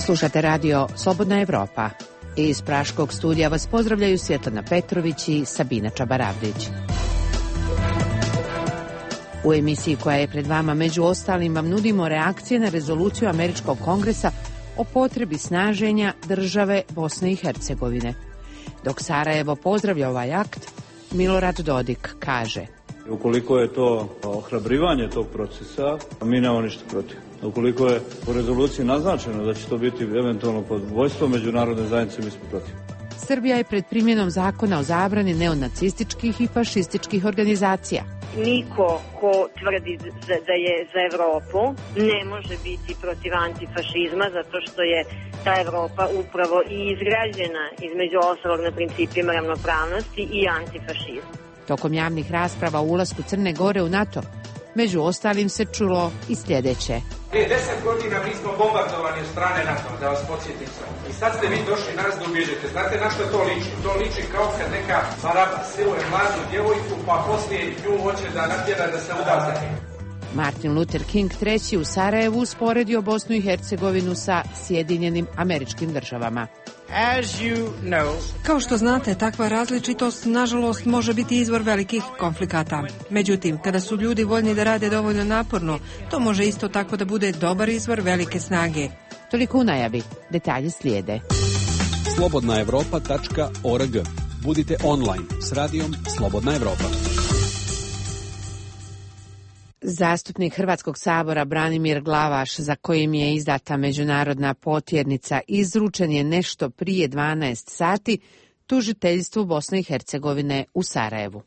Slušate radio Slobodna Evropa. Iz praškog studija vas pozdravljaju Svjetlana Petrović i Sabina Čabaravdić. U emisiji koja je pred vama među ostalim vam nudimo reakcije na rezoluciju Američkog kongresa o potrebi snaženja države Bosne i Hercegovine. Dok Sarajevo pozdravlja ovaj akt, Milorad Dodik kaže: ukoliko je to ohrabrivanje tog procesa, mi nemamo ništa protiv. Ukoliko je u rezoluciji naznačeno da će to biti eventualno pod vojstvom međunarodne zajednice, mi smo protiv. Srbija je pred primjenom zakona o zabrani neonacističkih i fašističkih organizacija. Niko ko tvrdi da je za Evropu ne može biti protiv antifašizma, zato što je ta Evropa upravo i izgrađena između ostalog na principima ravnopravnosti i antifašizma. Tokom javnih rasprava o ulasku Crne Gore u NATO, među ostalim se čulo i sljedeće. Prije 10 godina mi smo bombardovani od strane NATO, da vas podsjetim sad. I sad ste vi došli nas da ubježite. Znate na što to liči? To liči kao kad neka baraba siluje mladu djevojku, pa poslije nju hoće da natjera da se uda za njim. Martin Luther King III. U Sarajevu usporedio Bosnu i Hercegovinu sa Sjedinjenim Američkim Državama. Kao što znate, takva različitost, nažalost, može biti izvor velikih konflikata. Međutim, kada su ljudi voljni da rade dovoljno naporno, to može isto tako da bude dobar izvor velike snage. Toliko u najavi. Detalji slijede. slobodnaevropa.org. Budite online s radijom Slobodna Evropa. Zastupnik Hrvatskog sabora Branimir Glavaš, za kojim je izdata međunarodna potjernica, izručen je nešto prije 12 sati tužiteljstvu Bosne i Hercegovine u Sarajevu.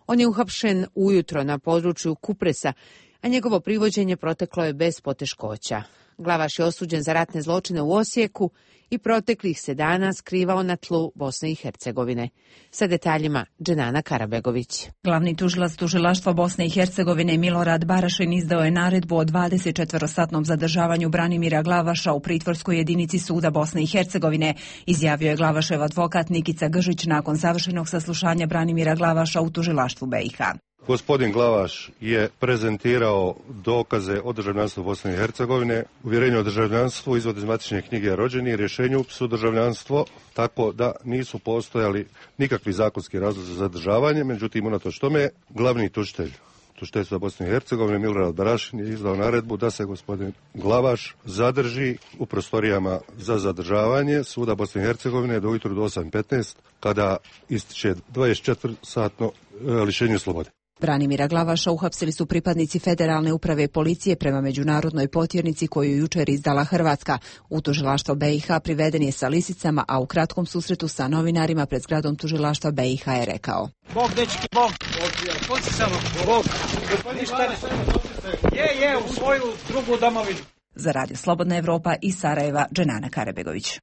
On je uhapšen ujutro na području Kupresa, a njegovo privođenje proteklo je bez poteškoća. Glavaš je osuđen za ratne zločine u Osijeku i proteklih se dana skrivao na tlu Bosne i Hercegovine. Sa detaljima Dženana Karabegović. Glavni tužilac tužilaštva Bosne i Hercegovine Milorad Barašin izdao je naredbu o 24-satnom zadržavanju Branimira Glavaša u pritvorskoj jedinici suda Bosne i Hercegovine, izjavio je Glavašev advokat Nikica Gržić nakon završenog saslušanja Branimira Glavaša u tužilaštvu BiH. Gospodin Glavaš je prezentirao dokaze o državljanstvu Bosne i Hercegovine, uvjerenje o državljanstvu, izvod iz matične knjige rođeni, rješenju o upisu državljanstvo, tako da nisu postojali nikakvi zakonski razlozi za zadržavanje. Međutim, unatoč tome, glavni tužitelj tužiteljstva Bosne i Hercegovine Milorad Barašin je izdao naredbu da se gospodin Glavaš zadrži u prostorijama za zadržavanje suda Bosne i Hercegovine do ujutru do 8:15 kada ističe 24-satno lišenje slobode. Branimira Glavaša uhapsili su pripadnici Federalne uprave policije prema međunarodnoj potjernici koju jučer izdala Hrvatska. U tužilaštvo BiH priveden je sa lisicama, a u kratkom susretu sa novinarima pred zgradom tužilaštva BiH je rekao: Bog, dečki, Bog. Poci samo, Bog. Je, u svoju drugu domovinu. Za radio Slobodna Evropa iz Sarajeva, Dženana Karabegović.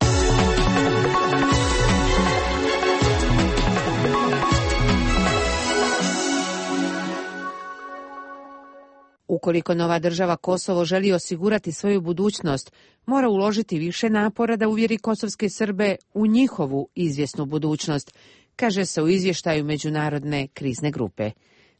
Ukoliko nova država Kosovo želi osigurati svoju budućnost, mora uložiti više napora da uvjeri kosovske Srbe u njihovu izvjesnu budućnost, kaže se u izvještaju Međunarodne krizne grupe.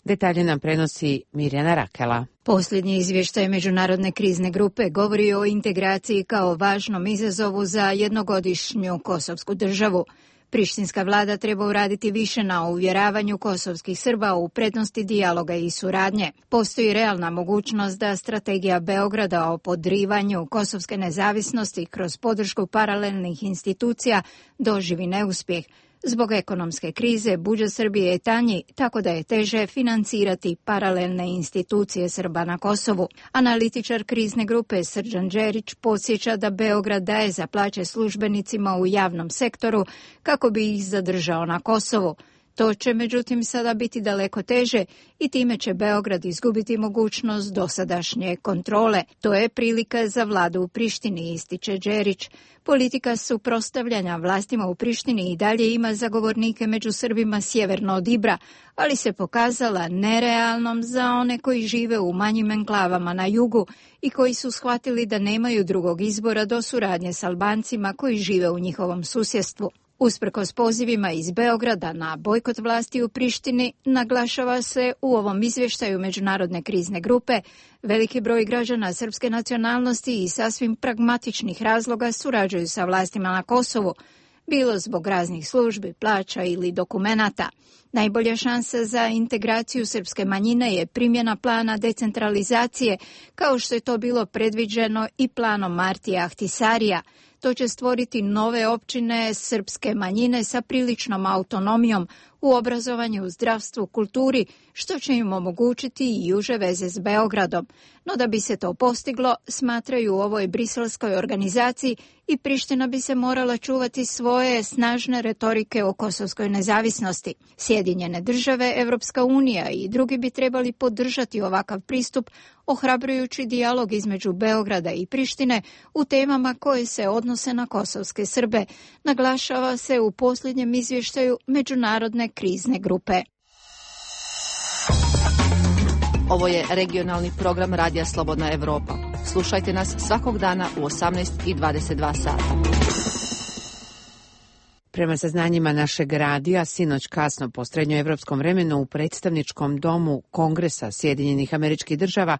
Detalje nam prenosi Mirjana Rakela. Posljednji izvještaj Međunarodne krizne grupe govori o integraciji kao važnom izazovu za jednogodišnju kosovsku državu. Prištinska vlada treba uraditi više na uvjeravanju kosovskih Srba u prednosti dijaloga i suradnje. Postoji realna mogućnost da strategija Beograda o podrivanju kosovske nezavisnosti kroz podršku paralelnih institucija doživi neuspjeh. Zbog ekonomske krize budžet Srbije je tanji, tako da je teže financirati paralelne institucije Srba na Kosovu. Analitičar krizne grupe Srđan Đerić podsjeća da Beograd daje za plaće službenicima u javnom sektoru kako bi ih zadržao na Kosovu. To će međutim sada biti daleko teže i time će Beograd izgubiti mogućnost dosadašnje kontrole. To je prilika za vladu u Prištini, ističe Đerić. Politika suprotstavljanja vlastima u Prištini i dalje ima zagovornike među Srbima sjeverno od Ibra, ali se pokazala nerealnom za one koji žive u manjim enklavama na jugu i koji su shvatili da nemaju drugog izbora do suradnje s Albancima koji žive u njihovom susjedstvu. Usprkos pozivima iz Beograda na bojkot vlasti u Prištini, naglašava se u ovom izvještaju Međunarodne krizne grupe, veliki broj građana srpske nacionalnosti i sasvim pragmatičnih razloga surađuju sa vlastima na Kosovu, bilo zbog raznih službi, plaća ili dokumenata. Najbolja šansa za integraciju srpske manjine je primjena plana decentralizacije, kao što je to bilo predviđeno i planom Martija Ahtisarija. To će stvoriti nove općine srpske manjine sa priličnom autonomijom u obrazovanju, zdravstvu, kulturi, što će im omogućiti i uže veze s Beogradom. No da bi se to postiglo, smatraju u ovoj briselskoj organizaciji, i Priština bi se morala čuvati svoje snažne retorike o kosovskoj nezavisnosti. Sjedinjene države, Evropska unija i drugi bi trebali podržati ovakav pristup, ohrabrujući dijalog između Beograda i Prištine u temama koje se odnose na kosovske Srbe, naglašava se u posljednjem izvještaju Međunarodne krizne grupe. Ovo je regionalni program Radija Slobodna Evropa. Slušajte nas svakog dana u 18:22 sata. Prema saznanjima našeg radija, sinoć kasno po srednjoevropskom vremenu u predstavničkom domu Kongresa Sjedinjenih Američkih Država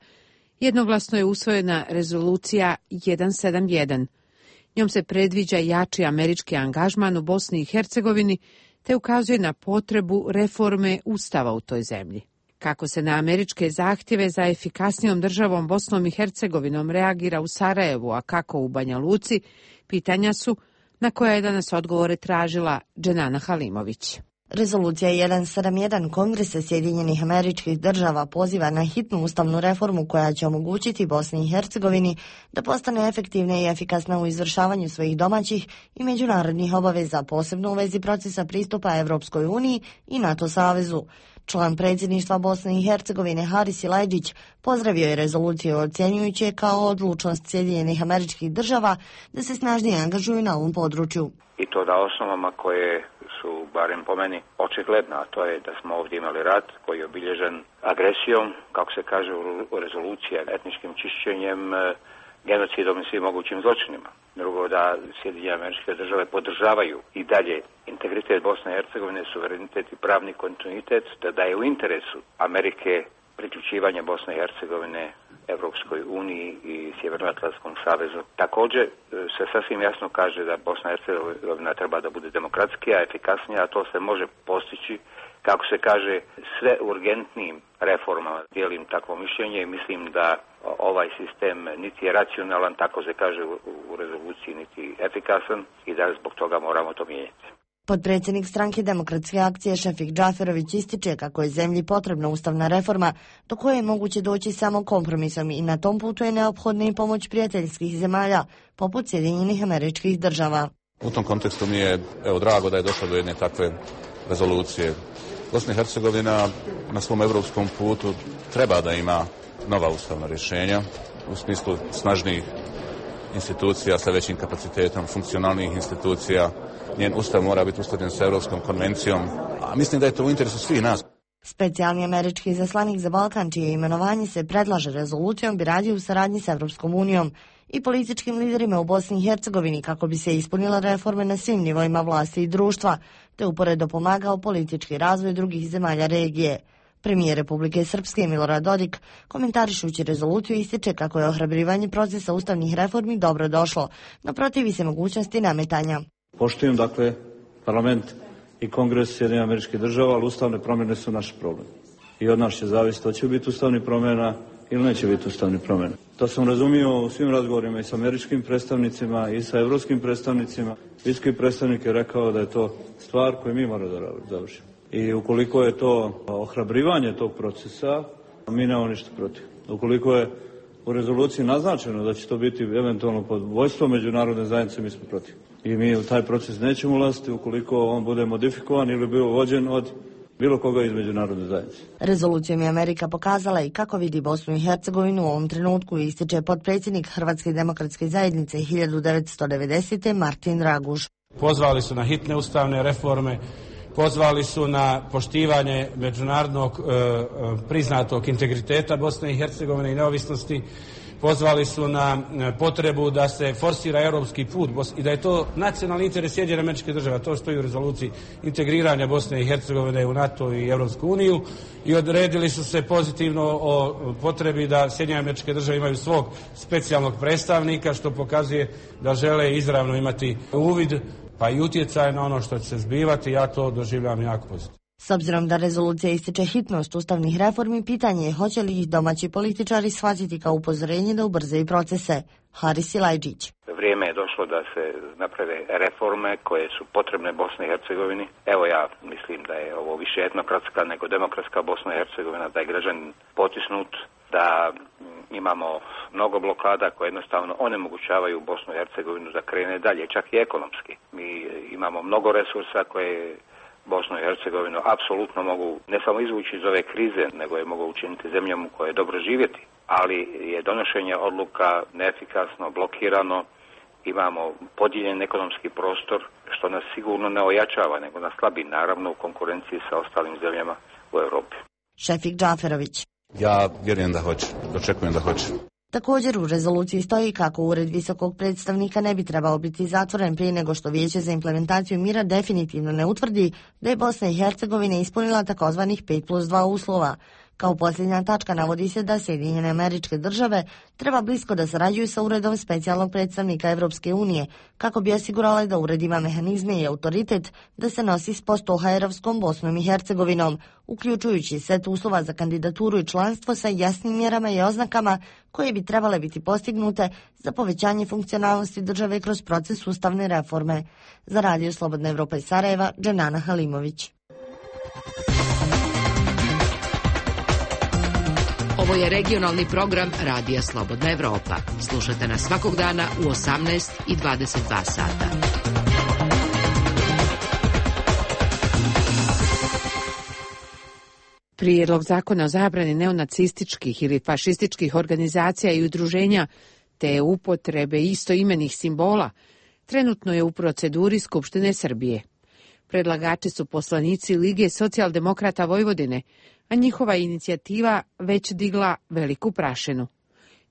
jednoglasno je usvojena rezolucija 171. Njom se predviđa jači američki angažman u Bosni i Hercegovini te ukazuje na potrebu reforme ustava u toj zemlji. Kako se na američke zahtjeve za efikasnijom državom Bosnom i Hercegovinom reagira u Sarajevu, a kako u Banja Luci, pitanja su na koja je danas odgovore tražila Dženana Halimović. Rezolucija 171 Kongresa Sjedinjenih Američkih Država poziva na hitnu ustavnu reformu koja će omogućiti Bosni i Hercegovini da postane efektivna i efikasna u izvršavanju svojih domaćih i međunarodnih obaveza, posebno u vezi procesa pristupa Evropskoj uniji i NATO savezu. Član predsjedništva Bosne i Hercegovine Haris Silajdžić pozdravio je rezoluciju ocjenjujući je kao odlučnost Sjedinjenih Američkih Država da se snažnije angažuju na ovom području. I to na osnovama koje su, barem po meni, očigledna, a to je da smo ovdje imali rat koji je obilježen agresijom, kako se kaže u rezoluciji, etničkim čišćenjem, genocidom i svim mogućim zločinima. Drugo, da Sjedinjene Američke Države podržavaju i dalje integritet Bosne i Hercegovine, suverenitet i pravni kontinuitet, da je u interesu Amerike priključivanje Bosne i Hercegovine Evropskoj uniji i Sjevernoatlantskom savezu. Također se sasvim jasno kaže da Bosna i Hercegovina treba da bude demokratskija, efikasnija, a to se može postići, kako se kaže, sve urgentnijim reformama. Dijelim takvo mišljenje i mislim da ovaj sistem niti je racionalan, tako se kaže u rezoluciji, niti efikasan i da zbog toga moramo to mijenjati. Potpredsjednik stranke Demokratske akcije Šefik Džaferović ističe kako je zemlji potrebna ustavna reforma do koje je moguće doći samo kompromisom i na tom putu je neophodna i pomoć prijateljskih zemalja, poput Sjedinjenih Američkih Država. U tom kontekstu mi je drago da je došlo do jedne takve rezolucije. Bosna i Hercegovina na svom evropskom putu treba da ima nova ustavna rješenja u smislu snažnijih institucija sa većim kapacitetom, funkcionalnih institucija. Njen ustav mora biti usklađen sa Europskom konvencijom, a mislim da je to u interesu svih nas. Specijalni američki izaslanik za Balkan, čije imenovanje se predlaže rezolucijom, bi radio u saradnji s Evropskom unijom i političkim liderima u Bosni i Hercegovini kako bi se ispunile reforme na svim nivoima vlasti i društva, te uporedo pomagao politički razvoj drugih zemalja regije. Premijer Republike Srpske Milorad Dodik, komentarišući rezoluciju, ističe kako je ohrabrivanje procesa ustavnih reformi dobro došlo, no protivi se mogućnosti nametanja. Poštujem, dakle, parlament i Kongres Sjedinjenih Američkih Država, ali ustavne promjene su naš problem. I od nas će zavisiti hoće li biti ustavnih promjena ili neće biti ustavnih promjena. To sam razumio u svim razgovorima i sa američkim predstavnicima i sa evropskim predstavnicima. Visoki predstavnik je rekao da je to stvar koju mi moramo da završimo. I ukoliko je to ohrabrivanje tog procesa, mi nemamo ništa protiv. Ukoliko je u rezoluciji naznačeno da će to biti eventualno pod vojstvom međunarodne zajednice, mi smo protiv. I mi u taj proces nećemo ulaziti ukoliko on bude modifikovan ili bio vođen od bilo koga iz međunarodne zajednice. Rezolucijom je Amerika pokazala i kako vidi Bosnu i Hercegovinu u ovom trenutku, ističe potpredsjednik Hrvatske demokratske zajednice 1990. Martin Raguž. Pozvali su na hitne ustavne reforme, pozvali su na poštivanje međunarodnog priznatog integriteta Bosne i Hercegovine i neovisnosti, pozvali su na potrebu da se forsira europski put i da je to nacionalni interes Sjedinjenih Američkih Država. To stoji u rezoluciji integriranja Bosne i Hercegovine u NATO i Europsku uniju i odredili su se pozitivno o potrebi da Sjedinjene Američke Države imaju svog specijalnog predstavnika, što pokazuje da žele izravno imati uvid pa i utjecaj na ono što će se zbivati. Ja to doživljavam jako pozitivno. S obzirom da rezolucija ističe hitnost ustavnih reformi, pitanje je hoće li ih domaći političari shvatiti kao upozorenje da ubrzaju procese. Haris Silajđić. Vrijeme je došlo da se naprave reforme koje su potrebne Bosni i Hercegovini. Evo ja mislim da je ovo više etnokratska nego demokratska Bosna i Hercegovina, da je građanin potisnut, da imamo mnogo blokada koje jednostavno onemogućavaju Bosnu i Hercegovinu da krene dalje, čak i ekonomski. Mi imamo mnogo resursa koje Bosnu i Hercegovinu apsolutno mogu ne samo izvući iz ove krize, nego je mogu učiniti zemljom u kojoj je dobro živjeti, ali je donošenje odluka neefikasno, blokirano, imamo podijeljen ekonomski prostor, što nas sigurno ne ojačava, nego nas slabi, naravno u konkurenciji sa ostalim zemljama u Europi. Šefik Džaferović. Ja vjerujem da hoće, očekujem da hoće. Također u rezoluciji stoji kako Ured visokog predstavnika ne bi trebao biti zatvoren prije nego što Vijeće za implementaciju mira definitivno ne utvrdi da je Bosna i Hercegovina ispunila takozvanih 5+2 uslova. Kao posljednja tačka navodi se da Sjedinjene Američke Države treba blisko da sarađuju sa Uredom specijalnog predstavnika Europske unije kako bi osigurale da ured ima mehanizme i autoritet da se nosi s post-OHR-ovskom Bosnom i Hercegovinom, uključujući set uslova za kandidaturu i članstvo sa jasnim mjerama i oznakama koje bi trebale biti postignute za povećanje funkcionalnosti države kroz proces ustavne reforme. Za Radio Slobodna Evropa iz Sarajeva, Dženana Halimović. Ovo je regionalni program Radija Slobodna Evropa. Slušajte nas svakog dana u 18 i 22 sata. Prijedlog zakona o zabrani neonacističkih ili fašističkih organizacija i udruženja te upotrebe istoimenih simbola trenutno je u proceduri Skupštine Srbije. Predlagači su poslanici Lige socijaldemokrata Vojvodine, a njihova inicijativa već digla veliku prašinu.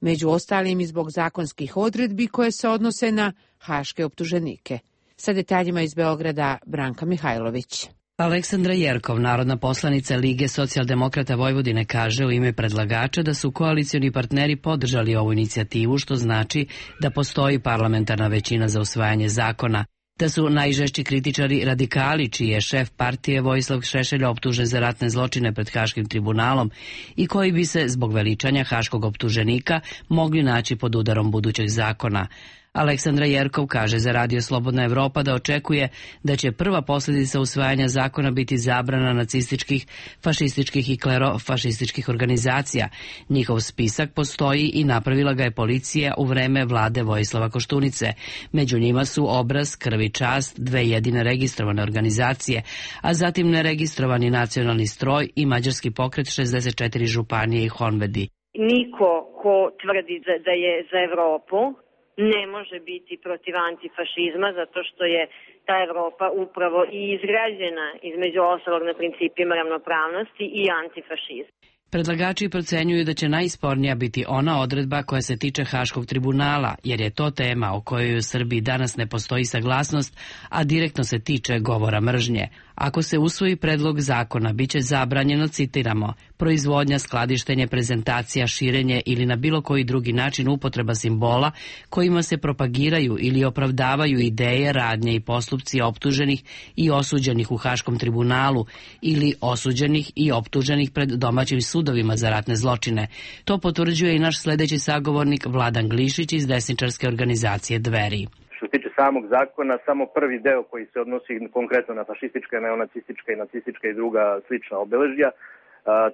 Među ostalim i zbog zakonskih odredbi koje se odnose na haške optuženike. Sa detaljima iz Beograda, Branka Mihajlović. Aleksandra Jerkov, narodna poslanica Lige socijaldemokrata Vojvodine, kaže u ime predlagača da su koalicioni partneri podržali ovu inicijativu, što znači da postoji parlamentarna većina za usvajanje zakona. Da su najžešći kritičari radikali, čiji je šef partije Vojislav Šešelj optužen za ratne zločine pred Haškim tribunalom i koji bi se zbog veličanja haškog optuženika mogli naći pod udarom budućeg zakona. Aleksandra Jerkov kaže za Radio Slobodna Evropa da očekuje da će prva posljedica usvajanja zakona biti zabrana nacističkih, fašističkih i klerofašističkih organizacija. Njihov spisak postoji i napravila ga je policija u vreme vlade Vojislava Koštunice. Među njima su Obraz, Krv i čast, dve jedine registrovane organizacije, a zatim neregistrovani Nacionalni stroj i Mađarski pokret 64 županije i Honvedi. Niko ko tvrdi da je za Evropu ne može biti protiv antifašizma, zato što je ta Evropa upravo i izgrađena između ostalog na principima ravnopravnosti i antifašizma. Predlagači procenjuju da će najspornija biti ona odredba koja se tiče Haškog tribunala, jer je to tema o kojoj u Srbiji danas ne postoji saglasnost, a direktno se tiče govora mržnje. Ako se usvoji predlog zakona, bit će zabranjeno, citiramo, proizvodnja, skladištenje, prezentacija, širenje ili na bilo koji drugi način upotreba simbola kojima se propagiraju ili opravdavaju ideje, radnje i postupci optuženih i osuđenih u Haškom tribunalu ili osuđenih i optuženih pred domaćim sudovima za ratne zločine. To potvrđuje i naš sljedeći sagovornik Vladan Glišić iz desničarske organizacije Dveri. Što se tiče samog zakona, samo prvi deo koji se odnosi konkretno na fašistička, neonacistička i nacistička i druga slična obeležja,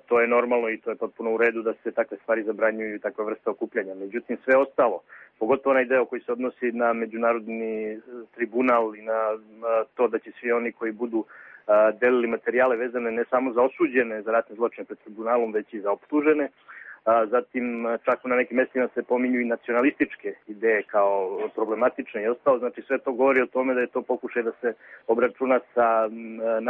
to je normalno i to je potpuno u redu da se takve stvari zabranjuju i takva vrsta okupljanja. Međutim, sve ostalo, pogotovo onaj deo koji se odnosi na međunarodni tribunal i na to da će svi oni koji budu delili materijale vezane ne samo za osuđene za ratne zločine pred tribunalom, već i za optužene, zatim čak na nekim mestima se pominju i nacionalističke ideje kao problematične i ostalo, znači sve to govori o tome da je to pokušaj da se obračuna sa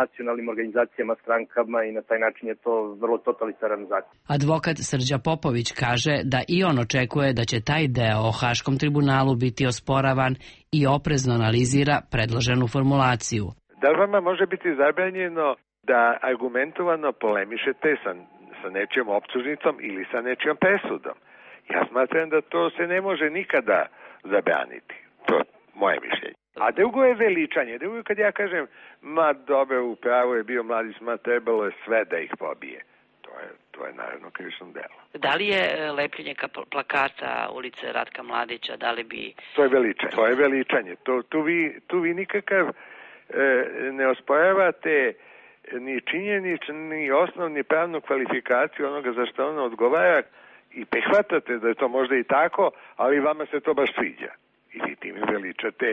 nacionalnim organizacijama, strankama i na taj način je to vrlo totalitaran zakon. Advokat Srđa Popović kaže da i on očekuje da će taj deo o Haškom tribunalu biti osporavan i oprezno analizira predloženu formulaciju. Državama može biti zabranjeno da argumentovano polemišete sa nečijom optužnicom ili sa nečijom presudom. Ja smatram da to se ne može nikada zabraniti. To je moje mišljenje. A drugo je veličanje. Drugo je kad ja kažem, ma dobro, upravo je bio Mladić, ma trebalo je sve da ih pobije. To je naravno krivično delo. Da li je lepljenje plakata ulice Ratka Mladića, da li bi... To je veličanje. Tu vi nikakav ne osporavate ni činjeničnu, ni osnovni pravnu kvalifikaciju onoga za što ono odgovara i prihvatate da je to možda i tako, ali vama se to baš sviđa. I vi tim veličate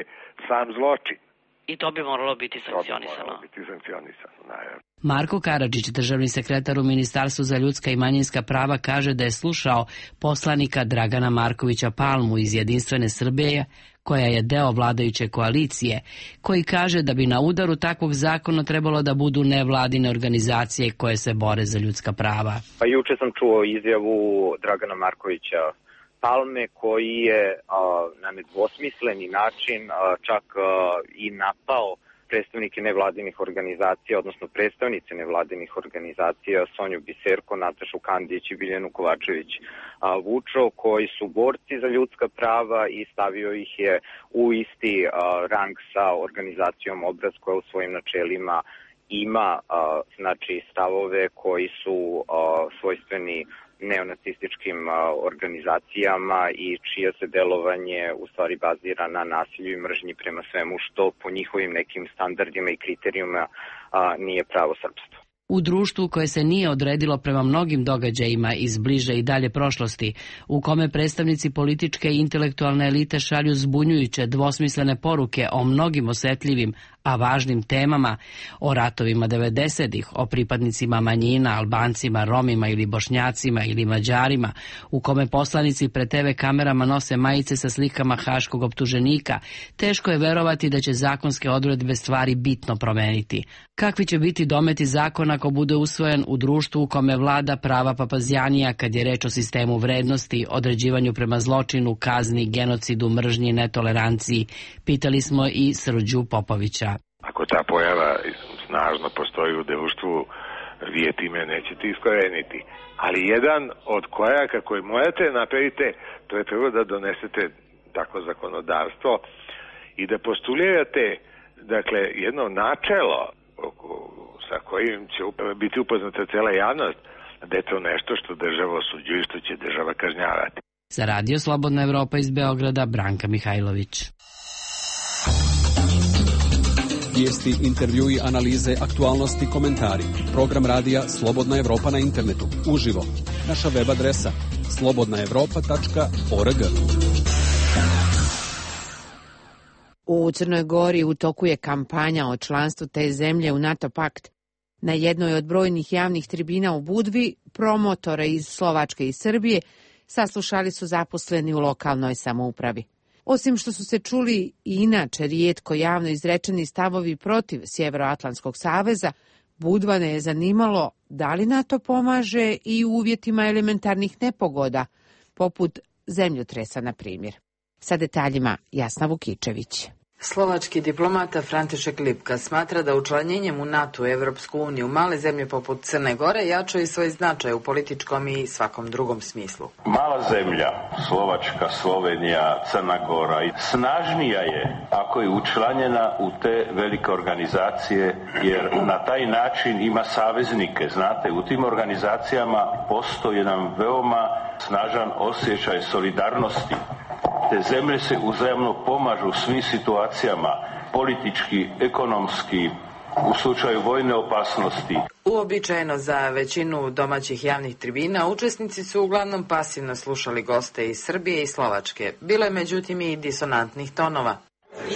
sam zločin. I to bi moralo biti sankcionisano. Naravno. Marko Karadžić, državni sekretar u Ministarstvu za ljudska i manjinska prava, kaže da je slušao poslanika Dragana Markovića Palmu iz Jedinstvene Srbije, koja je deo vladajuće koalicije, koji kaže da bi na udaru takvog zakona trebalo da budu nevladine organizacije koje se bore za ljudska prava. Pa juče sam čuo izjavu Dragana Markovića Palme koji je na nedvosmisleni način čak i napao predstavnike nevladinih organizacija, odnosno predstavnice nevladinih organizacija Sonju Biserko, Natašu Kandić i Biljanu Kovačević Vučo, koji su borci za ljudska prava i stavio ih je u isti rang sa organizacijom Obraz koja u svojim načelima ima znači stavove koji su svojstveni neonacističkim organizacijama i čije se delovanje u stvari bazira na nasilju i mržnji prema svemu što po njihovim nekim standardima i kriterijuma nije pravo srpstvo. U društvu koje se nije odredilo prema mnogim događajima iz bliže i dalje prošlosti, u kome predstavnici političke i intelektualne elite šalju zbunjujuće dvosmislene poruke o mnogim osetljivim, a važnim temama, o ratovima 90-ih, o pripadnicima manjina, Albancima, Romima ili Bošnjacima ili Mađarima, u kome poslanici pred TV kamerama nose majice sa slikama haškog optuženika, teško je verovati da će zakonske odredbe stvari bitno promeniti. Kakvi će biti dometi zakona ako bude usvojen u društvu u kome vlada prava papazjanija kad je reč o sistemu vrednosti, određivanju prema zločinu, kazni, genocidu, mržnji, netoleranciji, pitali smo i Srđu Popovića. Ako ta pojava snažno postoji u društvu, vi je time nećete iskoreniti. Ali jedan od koraka koji morate napraviti, to je prvo da donesete takvo zakonodavstvo i da postulirate, dakle, jedno načelo sa kojim će biti upoznata cela javnost, da je to nešto što država osuđuje i što će država kažnjavati. Za Radio Slobodna Evropa iz Beograda, Branka Mihajlović. Vijesti, intervjui, analize, aktualnosti, komentari. Program radija Slobodna Evropa na internetu. Uživo. Naša web adresa slobodnaevropa.org. U Crnoj Gori u toku je kampanja o članstvu te zemlje u NATO pakt. Na jednoj od brojnih javnih tribina u Budvi promotore iz Slovačke i Srbije saslušali su zaposleni u lokalnoj samoupravi. Osim što su se čuli i inače rijetko javno izrečeni stavovi protiv Sjevernoatlantskog saveza, Budvane je zanimalo da li NATO pomaže i u uvjetima elementarnih nepogoda, poput zemljotresa na primjer. Sa detaljima Jasna Vukičević. Slovački diplomata František Lipka smatra da učlanjenjem u NATO i Evropsku uniju male zemlje poput Crne Gore jačaju svoj značaj u političkom i svakom drugom smislu. Mala zemlja, Slovačka, Slovenija, Crna Gora, snažnija je ako je učlanjena u te velike organizacije, jer na taj način ima saveznike. Znate, u tim organizacijama postoji jedan veoma snažan osjećaj solidarnosti. Te zemlje se uzajamno pomažu u svim situacijama, politički, ekonomski, u slučaju vojne opasnosti. Uobičajeno za većinu domaćih javnih tribina, učesnici su uglavnom pasivno slušali goste iz Srbije i Slovačke. Bilo je međutim i disonantnih tonova.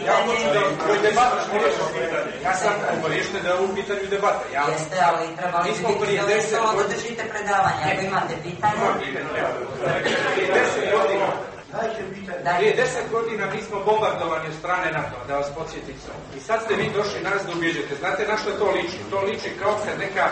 Ja hoću da debataš pitanje. Ja sam obavješten da je ovo u pitanju debata. Jeste, ali trebali bi biti završeno da držite predavanje. Ako imate pitanje... Prije 10 godina mi smo bombardovani od strane NATO-a, da vas podsjetim sve. I sad ste vi došli nas da ubježite. Znate na što to liči? To liči kao kad neka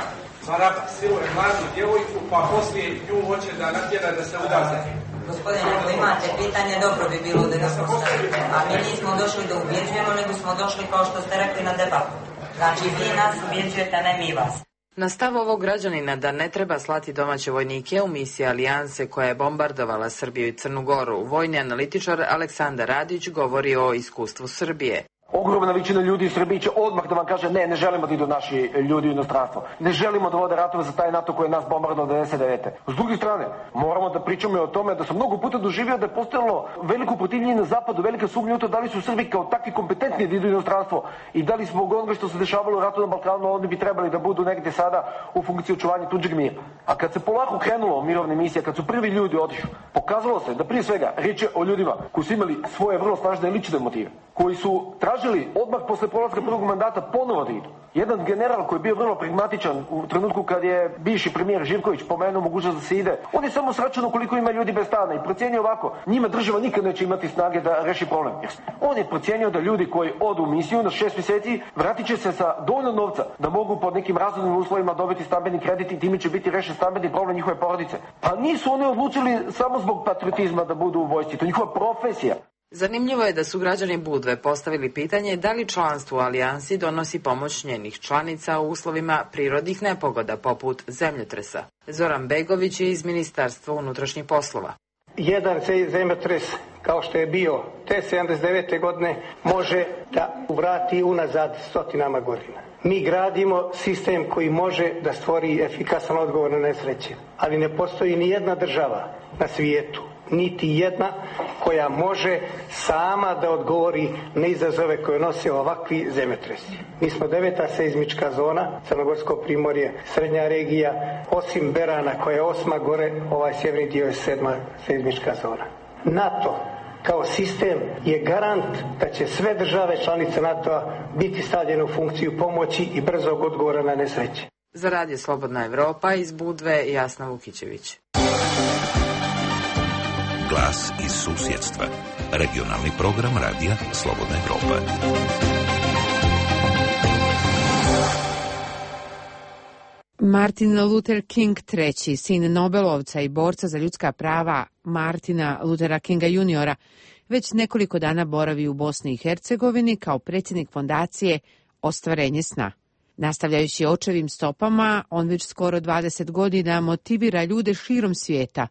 baraba siluje mladu djevojku, pa poslije nju hoće da natjera da se uda za njim. Gospodine, ako imate pitanje, dobro bi bilo da ga postavite. A mi nismo došli da ubjeđujemo, nego smo došli, kao što ste rekli, na debatu. Znači, vi nas ubjeđujete, ne mi vas. Na stav ovog građanina da ne treba slati domaće vojnike u misije Alijanse koja je bombardovala Srbiju i Crnu Goru, vojni analitičar Aleksandar Radić govori o iskustvu Srbije. Ogromna većina ljudi u Srbiji će odmah da vam kaže ne želimo da idu naši ljudi u inostranstvo. Ne želimo da vode ratove za taj NATO koji je nas bombardovao 99. S druge strane, moramo da pričamo i o tome da sam mnogo puta doživio da je postojalo veliko protivljenje na zapadu, velika sumnja u to da li su Srbi kao takvi kompetentni da idu u inostranstvo i da li zbog onoga što se dešavalo u ratu na Balkanu oni bi trebali da budu negde sada u funkciji očuvanja tuđeg mira. A kad se polako krenulo mirovne misije, kad su prvi ljudi otišli, pokazalo se da prije svega riječ je o ljudima koji su imali svoje vrlo snažne lične motive, koji su tražili odmah posle polaska prvog mandata ponovo da idu. Jedan general koji je bio vrlo pragmatičan u trenutku kad je bivši premijer Živković pomenuo mogućnost da se ide, on je samo sračunao koliko ima ljudi bez stana i procijenio ovako, njima država nikad neće imati snage da reši problem. On je procijenio da ljudi koji odu u misiju na 6 mjeseci vratit će se sa dovoljno novca da mogu pod nekim razumnim uslovima dobiti stambeni kredit i time će biti rešen stambeni problem njihove porodice. Pa nisu oni odlučili samo zbog patriotizma da budu u vojsci, to je njihova profesija. Zanimljivo je da su građani Budve postavili pitanje da li članstvo u Alijansi donosi pomoć njenih članica u uslovima prirodnih nepogoda poput zemljotresa. Zoran Begović je iz Ministarstva unutrašnjih poslova. Jedan zemljotres kao što je bio te 79. godine može da vrati unazad stotinama godina. Mi gradimo sistem koji može da stvori efikasan odgovor na nesreće, ali ne postoji ni jedna država na svijetu, niti jedna koja može sama da odgovori na izazove koje nose ovakvi zemljotresi. Mi smo 9. seizmička zona, Crnogorsko primorje, srednja regija, osim Berana koja je 8. gore, ovaj sjeverni dio je 7. seizmička zona. NATO kao sistem je garant da će sve države članice NATO-a biti stavljene u funkciju pomoći i brzog odgovora na nesreće. Za Radio Slobodna Evropa iz Budve, Jasna Vukićević. Glas iz susjedstva. Regionalni program Radija Slobodna Evropa. Martin Luther King III, sin Nobelovca i borca za ljudska prava Martina Luthera Kinga juniora, već nekoliko dana boravi u Bosni i Hercegovini kao predsjednik fondacije Ostvarenje sna. Nastavljajući očevim stopama, on već skoro 20 godina motivira ljude širom svijeta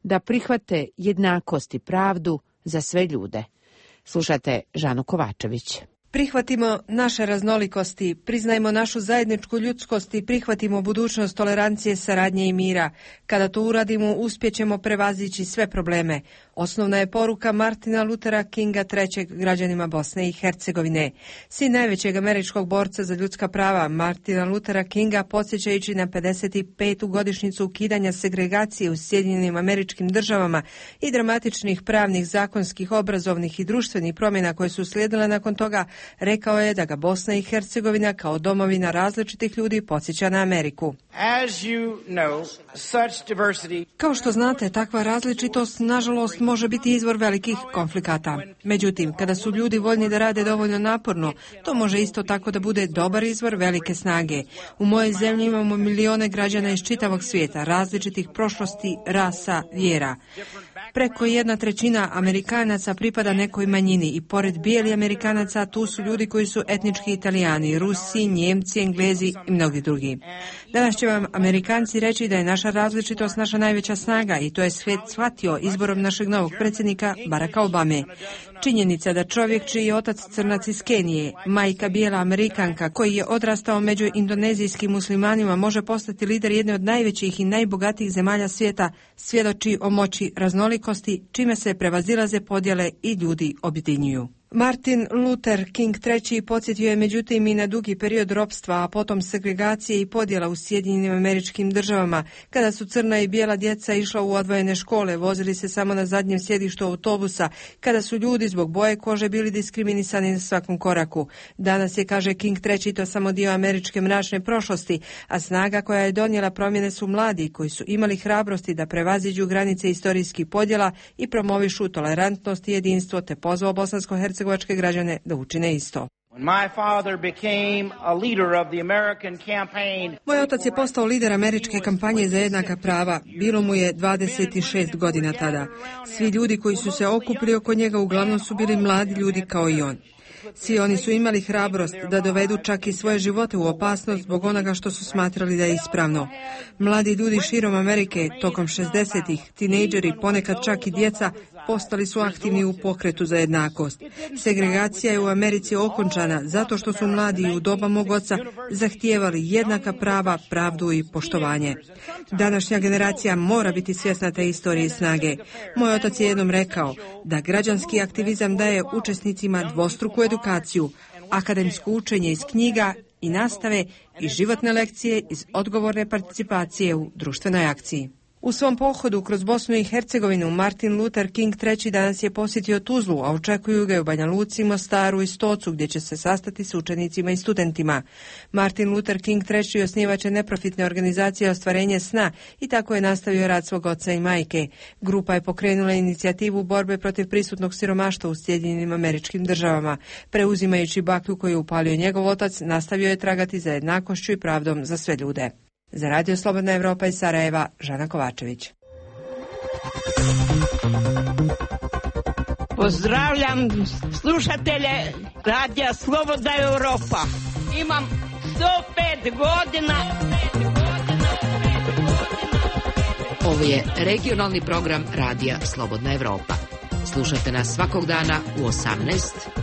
da prihvate jednakost i pravdu za sve ljude. Slušajte Žanu Kovačević. Prihvatimo naše raznolikosti, priznajmo našu zajedničku ljudskost i prihvatimo budućnost tolerancije, saradnje i mira. Kada to uradimo, uspjećemo prevazići sve probleme. Osnovna je poruka Martina Luthera Kinga III građanima Bosne i Hercegovine. Sin najvećeg američkog borca za ljudska prava Martina Luthera Kinga, podsjećajući na 55. godišnjicu ukidanja segregacije u Sjedinjenim Američkim Državama i dramatičnih pravnih, zakonskih, obrazovnih i društvenih promjena koje su slijedile nakon toga, rekao je da ga Bosna i Hercegovina kao domovina različitih ljudi podsjeća na Ameriku. Kao što znate, takva različitost nažalost može biti izvor velikih konflikata. Međutim, kada su ljudi voljni da rade dovoljno naporno, to može isto tako da bude dobar izvor velike snage. U mojoj zemlji imamo milione građana iz čitavog svijeta, različitih prošlosti, rasa, vjera. Preko 1/3 Amerikanaca pripada nekoj manjini i pored bijeli Amerikanaca tu su ljudi koji su etnički Italijani, Rusi, Njemci, Englezi i mnogi drugi. Danas će vam Amerikanci reći da je naša različitost naša najveća snaga i to je svijet shvatio izborom našeg novog predsjednika Baracka Obame. Činjenica da čovjek čiji je otac crnac iz Kenije, majka bijela Amerikanka koji je odrastao među indonezijskim muslimanima može postati lider jedne od najvećih i najbogatijih zemalja svijeta svjedoči o moći raznolikosti čime se prevazilaze podjele i ljudi objedinjuju. Martin Luther King III podsjetio je međutim i na dugi period ropstva, a potom segregacije i podjela u Sjedinjenim Američkim Državama, kada su crna i bijela djeca išla u odvojene škole, vozili se samo na zadnjem sjedištu autobusa, kada su ljudi zbog boje kože bili diskriminisani na svakom koraku. Danas je, kaže King III, to samo dio američke mračne prošlosti, a snaga koja je donijela promjene su mladi koji su imali hrabrosti da prevaziđu granice istorijskih podjela i promovišu tolerantnost i jedinstvo, te pozvao bosansko-hercegovačke građane da učine isto. Moj otac je postao lider američke kampanje za jednaka prava. Bilo mu je 26 godina tada. Svi ljudi koji su se okupili oko njega uglavnom su bili mladi ljudi kao i on. Svi oni su imali hrabrost da dovedu čak i svoje živote u opasnost zbog onoga što su smatrali da je ispravno. Mladi ljudi širom Amerike tokom 60-ih, tinejdžeri, ponekad čak i djeca, postali su aktivni u pokretu za jednakost. Segregacija je u Americi okončana zato što su mladi u doba mog oca zahtijevali jednaka prava, pravdu i poštovanje. Današnja generacija mora biti svjesna te istorije i snage. Moj otac je jednom rekao da građanski aktivizam daje učesnicima dvostruku edukaciju, akademsko učenje iz knjiga i nastave i životne lekcije iz odgovorne participacije u društvenoj akciji. U svom pohodu kroz Bosnu i Hercegovinu Martin Luther King III danas je posjetio Tuzlu, a očekuju ga u Banja Luci, Mostaru i Stocu, gdje će se sastati s učenicima i studentima. Martin Luther King III osnivač je neprofitne organizacije Ostvarenje sna i tako je nastavio rad svog oca i majke. Grupa je pokrenula inicijativu borbe protiv prisutnog siromaštva u Sjedinjenim Američkim Državama. Preuzimajući baklju koju je upalio njegov otac, nastavio je tragati za jednakošću i pravdom za sve ljude. Za Radio Slobodna Evropa iz Sarajeva, Žana Kovačević. Pozdravljam slušatelje Radija Slobodna Evropa. Imam 105 godina. Ovo je regionalni program Radija Slobodna Evropa. Slušajte nas svakog dana u 18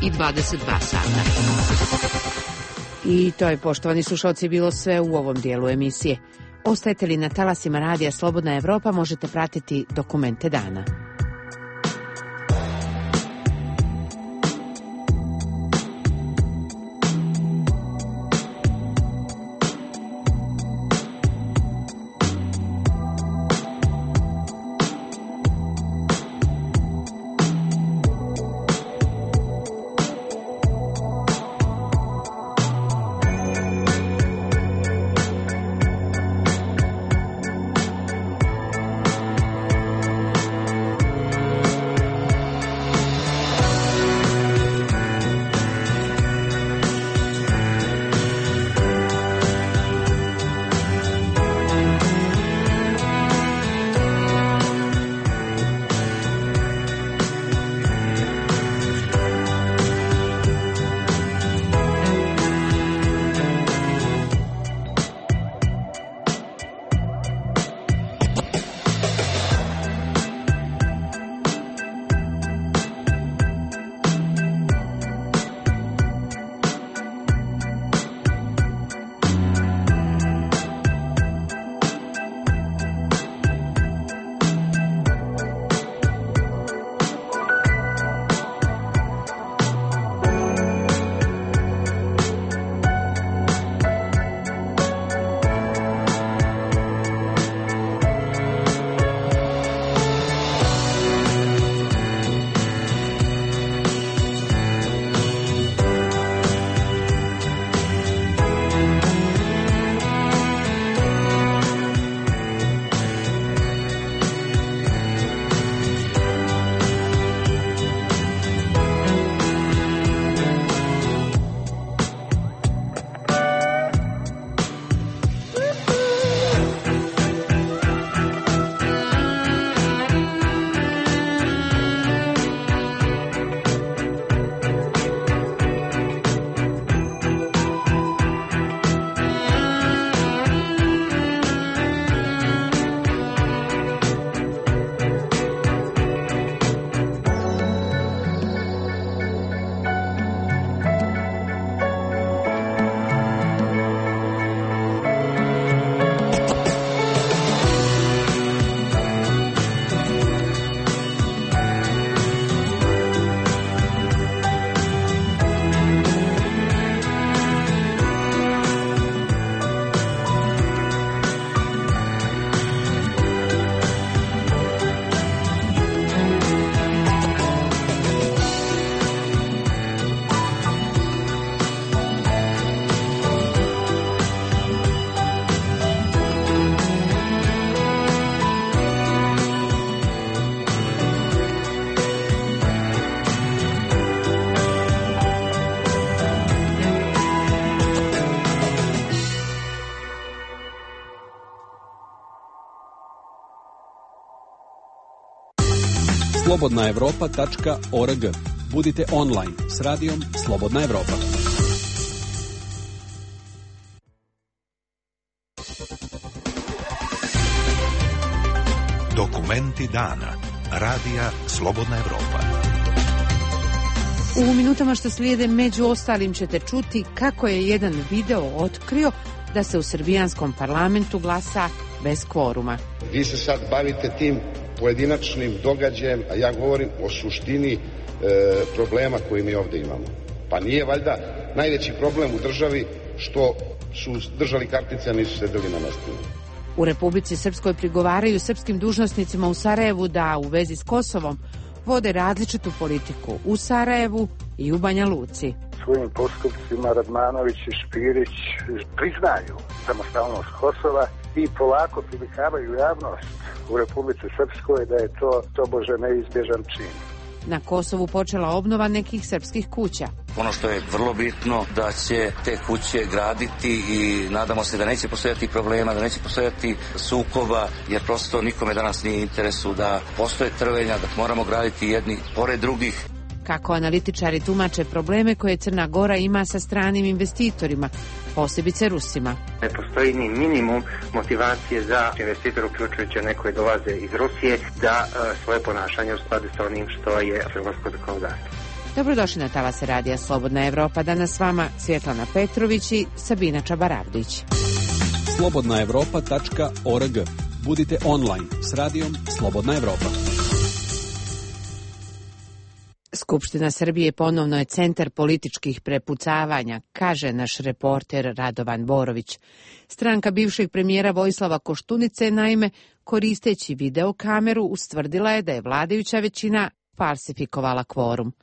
i 22 sata. I to je, poštovani slušalci, bilo sve u ovom dijelu emisije. Ostajete li na talasima Radija Slobodna Evropa, možete pratiti dokumente dana. slobodnaevropa.org. Budite online s radijom Slobodna Evropa. Dokumenti dana. Radija Slobodna Evropa. U minutama što slijede među ostalim ćete čuti kako je jedan video otkrio da se u srbijanskom parlamentu glasa bez kvoruma. Vi se sad bavite tim pojedinačnim događajem, a ja govorim o suštini problema koji mi ovdje imamo. Pa nije valjda najveći problem u državi što su držali kartice, a nisu sedeli na mestima. U Republici Srpskoj prigovaraju srpskim dužnosnicima u Sarajevu da u vezi s Kosovom vode različitu politiku u Sarajevu i u Banja Luci. Svojim postupcima Radmanović i Špirić priznaju samostalnost Kosova i polako privikavaju javnost u Republici Srpskoj da je to tobože neizbježan čin. Na Kosovu počela obnova nekih srpskih kuća. Ono što je vrlo bitno da će te kuće graditi i nadamo se da neće postojati problema, da neće postojati sukoba, jer prosto nikome danas nije interesu da postoje trvenja, da moramo graditi jedni pored drugih. Kako analitičari tumače probleme koje Crna Gora ima sa stranim investitorima, posebice Rusima. Ne postoji ni minimum motivacije za investitor, uključujući one koji dolaze iz Rusije, da svoje ponašanje usklade sa onim što je hrvatsko zakonodavstvo. Dobrodošli na talase radija Slobodna Evropa. Danas s vama Svjetlana Petrović i Sabina Čabaravdić. slobodnaevropa.org. Budite online s radijom Slobodna Evropa. Skupština Srbije ponovno je centar političkih prepucavanja, kaže naš reporter Radovan Borović. Stranka bivšeg premijera Vojislava Koštunice, naime, koristeći videokameru, ustvrdila je da je vladajuća većina falsifikovala kvorum.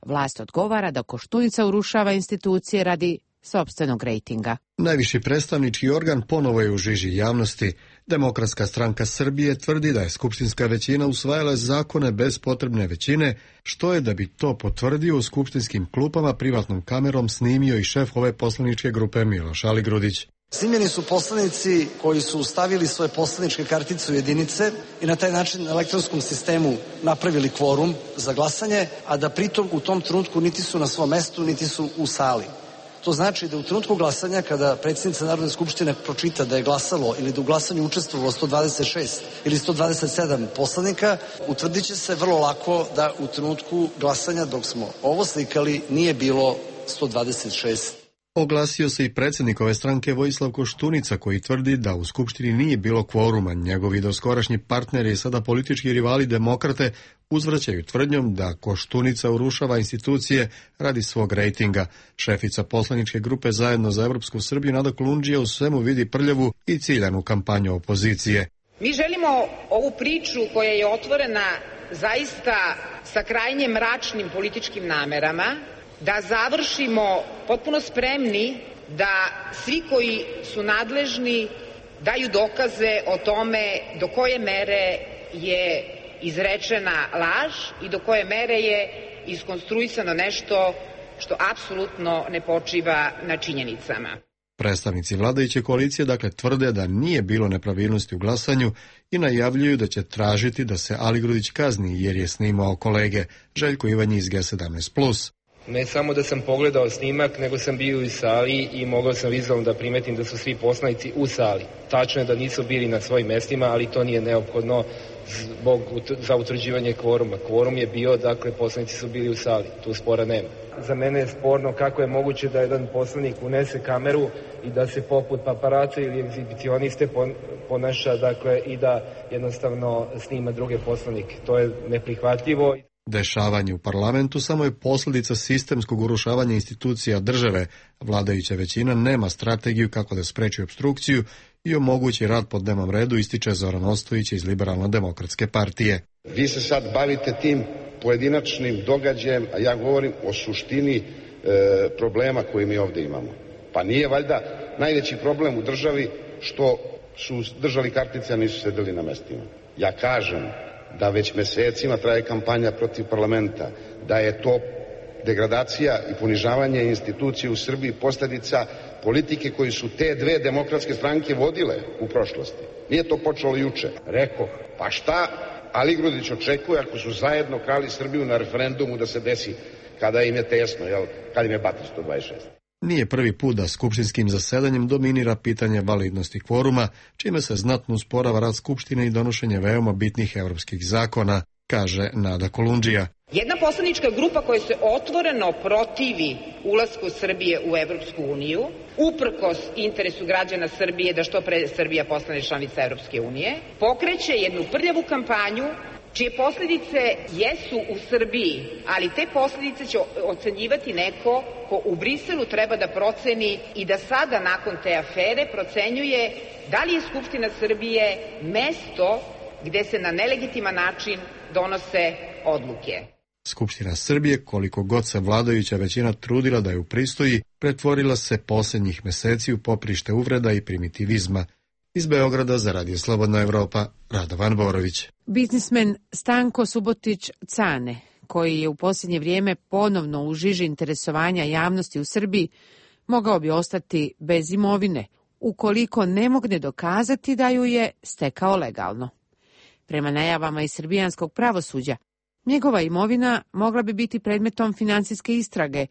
Vlast odgovara da Koštunica urušava institucije radi sopstvenog rejtinga. Najviši predstavnički organ ponovo je u žiži javnosti. Demokratska stranka Srbije tvrdi da je skupštinska većina usvajala zakone bez potrebne većine, što je, da bi to potvrdio, u skupštinskim klupama privatnom kamerom snimio i šef ove poslaničke grupe Miloš Aligrudić. Snimljeni su poslanici koji su stavili svoje poslaničke kartice u jedinice i na taj način na elektronskom sistemu napravili kvorum za glasanje, a da pritom u tom trenutku niti su na svom mestu, niti su u sali. To znači da u trenutku glasanja, kada predsjednica Narodne skupštine pročita da je glasalo ili da u glasanju učestvovalo 126 ili 127 poslanika, utvrdit će se vrlo lako da u trenutku glasanja, dok smo ovo slikali, nije bilo 126. Oglasio se i predsjednik ove stranke Vojislav Koštunica, koji tvrdi da u Skupštini nije bilo kvoruma. Njegovi doskorašnji partneri i sada politički rivali Demokrate uzvraćaju tvrdnjom da Koštunica urušava institucije radi svog rejtinga. Šefica poslaničke grupe Zajedno za Evropsku Srbiju Nada Kolundžija u svemu vidi prljavu i ciljanu kampanju opozicije. Mi želimo ovu priču koja je otvorena zaista sa krajnje mračnim političkim namerama da završimo potpuno spremni da svi koji su nadležni daju dokaze o tome do koje mere je izrečena laž i do koje mere je iskonstruisano nešto što apsolutno ne počiva na činjenicama. Predstavnici vladajuće koalicije tvrde da nije bilo nepravilnosti u glasanju i najavljuju da će tražiti da se Aligrudić kazni jer je snimao kolege. Željko Ivanjić, G17+. Ne samo da sam pogledao snimak, nego sam bio u sali i mogao sam vizualno da primetim da su svi poslanici u sali. Tačno je da nisu bili na svojim mestima, ali to nije neophodno za utvrđivanje kvoruma. Kvorum je bio, poslanici su bili u sali, tu spora nema. Za mene je sporno kako je moguće da jedan poslanik unese kameru i da se poput paparaca ili egzibicioniste ponaša, i da jednostavno snima druge poslanike. To je neprihvatljivo. Dešavanje u parlamentu samo je posljedica sistemskog urušavanja institucija države. Vladajuća većina nema strategiju kako da spreči opstrukciju i omogući rad po dnevnom redu, ističe Zoran Ostojić iz Liberalno-demokratske partije. Vi se sad bavite tim pojedinačnim događajem, a ja govorim o suštini problema koji mi ovdje imamo. Pa nije valjda najveći problem u državi što su držali kartice, a nisu sedeli na mestima. Ja kažem da već mesecima traje kampanja protiv parlamenta, da je to degradacija i ponižavanje institucije u Srbiji posljedica politike koji su te dve demokratske stranke vodile u prošlosti. Nije to počelo juče. Rekoh, pa šta Aligrudić očekuje, ako su zajedno krali Srbiju na referendumu, da se desi kada im je tesno, kad im je bato 126. Nije prvi put da skupštinskim zasedanjem dominira pitanje validnosti kvoruma, čime se znatno usporava rad Skupštine i donošenje veoma bitnih evropskih zakona, kaže Nada Kolundžija. Jedna poslanička grupa koja se otvoreno protivi ulasku Srbije u Evropsku uniju, uprkos interesu građana Srbije da što pre Srbija postane članica Evropske unije, pokreće jednu prljavu kampanju čije posljedice jesu u Srbiji, ali te posljedice će ocenjivati neko ko u Briselu treba da proceni i da sada nakon te afere procenjuje da li je Skupština Srbije mesto gde se na nelegitiman način donose odluke. Skupština Srbije, koliko god se vladajuća većina trudila da ju pristoji, pretvorila se posljednjih meseci u poprište uvreda i primitivizma. Iz Beograda za Radio Slobodna Evropa, Radovan Borović. Biznismen Stanko Subotić Cane, koji je u posljednje vrijeme ponovno u žiži interesovanja javnosti u Srbiji, mogao bi ostati bez imovine, ukoliko ne mogne dokazati da ju je stekao legalno. Prema najavama iz srbijanskog pravosuđa, njegova imovina mogla bi biti predmetom financijske istrage,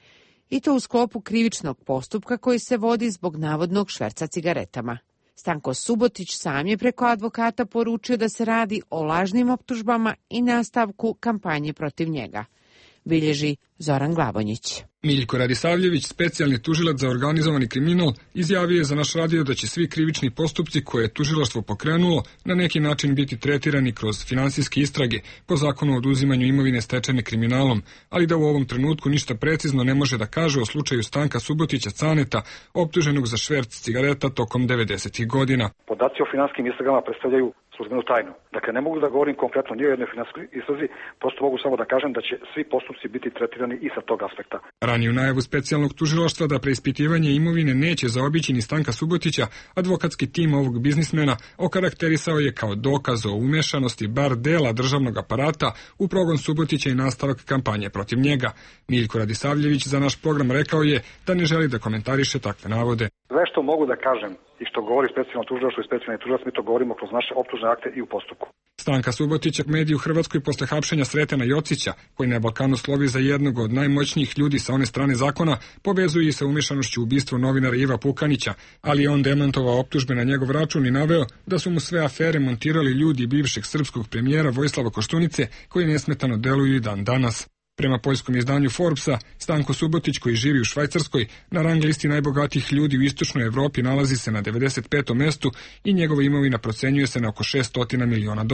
i to u sklopu krivičnog postupka koji se vodi zbog navodnog šverca cigaretama. Stanko Subotić sam je preko advokata poručio da se radi o lažnim optužbama i nastavku kampanje protiv njega, bilježi Zoran Glavonjić. Miljko Radisavljević, specijalni tužilac za organizovani kriminal, izjavio je za naš radio da će svi krivični postupci koje je tužilaštvo pokrenulo na neki način biti tretirani kroz finansijske istrage po zakonu o oduzimanju imovine stečene kriminalom, ali da u ovom trenutku ništa precizno ne može da kaže o slučaju Stanka Subotića Caneta, optuženog za šverc cigareta tokom 90. godina. Podaci o finansijskim istragama predstavljaju službenu tajnu. Dakle, ne mogu da govorim konkretno ni o jednoj finansijskoj istrazi, prosto mogu samo da kažem da će svi postupci biti tretirani i sa tog aspekta. Raniju najavu specijalnog tužilaštva da preispitivanje imovine neće zaobići ni Stanka Subotića, advokatski tim ovog biznismena okarakterisao je kao dokaz o umešanosti bar dela državnog aparata u progon Subotića i nastavak kampanje protiv njega. Miljko Radisavljević za naš program rekao je da ne želi da komentariše takve navode. Sve što mogu da kažem i što govori specijalno tužilaštvo i specijalni tužilac, mi to govorimo kroz naše optužne akte i u postupku. Stanka Subotića mediji u Hrvatskoj posle hapšenja Sretena Jocića, koji na Balkanu slovi za jednog od najmoćnijih ljudi sa one strane zakona, povezuje i sa umješanošću u ubistvo novinara Iva Pukanića, ali je on demantovao optužbe na njegov račun i naveo da su mu sve afere montirali ljudi bivšeg srpskog premijera Vojislava Koštunice, koji nesmetano deluju i dan danas. Prema poljskom izdanju Forbesa, Stanko Subotić, koji živi u Švajcarskoj, na rang listi najbogatijih ljudi u istočnoj Evropi nalazi se na 95. mestu i njegova imovina procenjuje se na oko $600 miliona.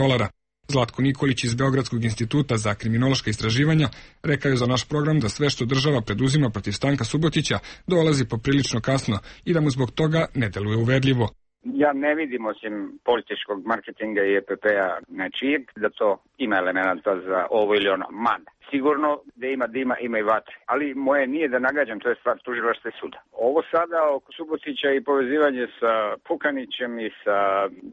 Zlatko Nikolić iz Beogradskog instituta za kriminološka istraživanja rekao je za naš program da sve što država preduzima protiv Stanka Subotića dolazi poprilično kasno i da mu zbog toga ne deluje uverljivo. Ja ne vidim osim političkog marketinga i EPP-a nečijeg da to ima elementa za ovo ili ono, mada. Sigurno da ima dima, ima i vatre. Ali moje nije da nagađam, to je stvar tužilaštva i suda. Ovo sada oko Subotića i povezivanje sa Pukanićem i sa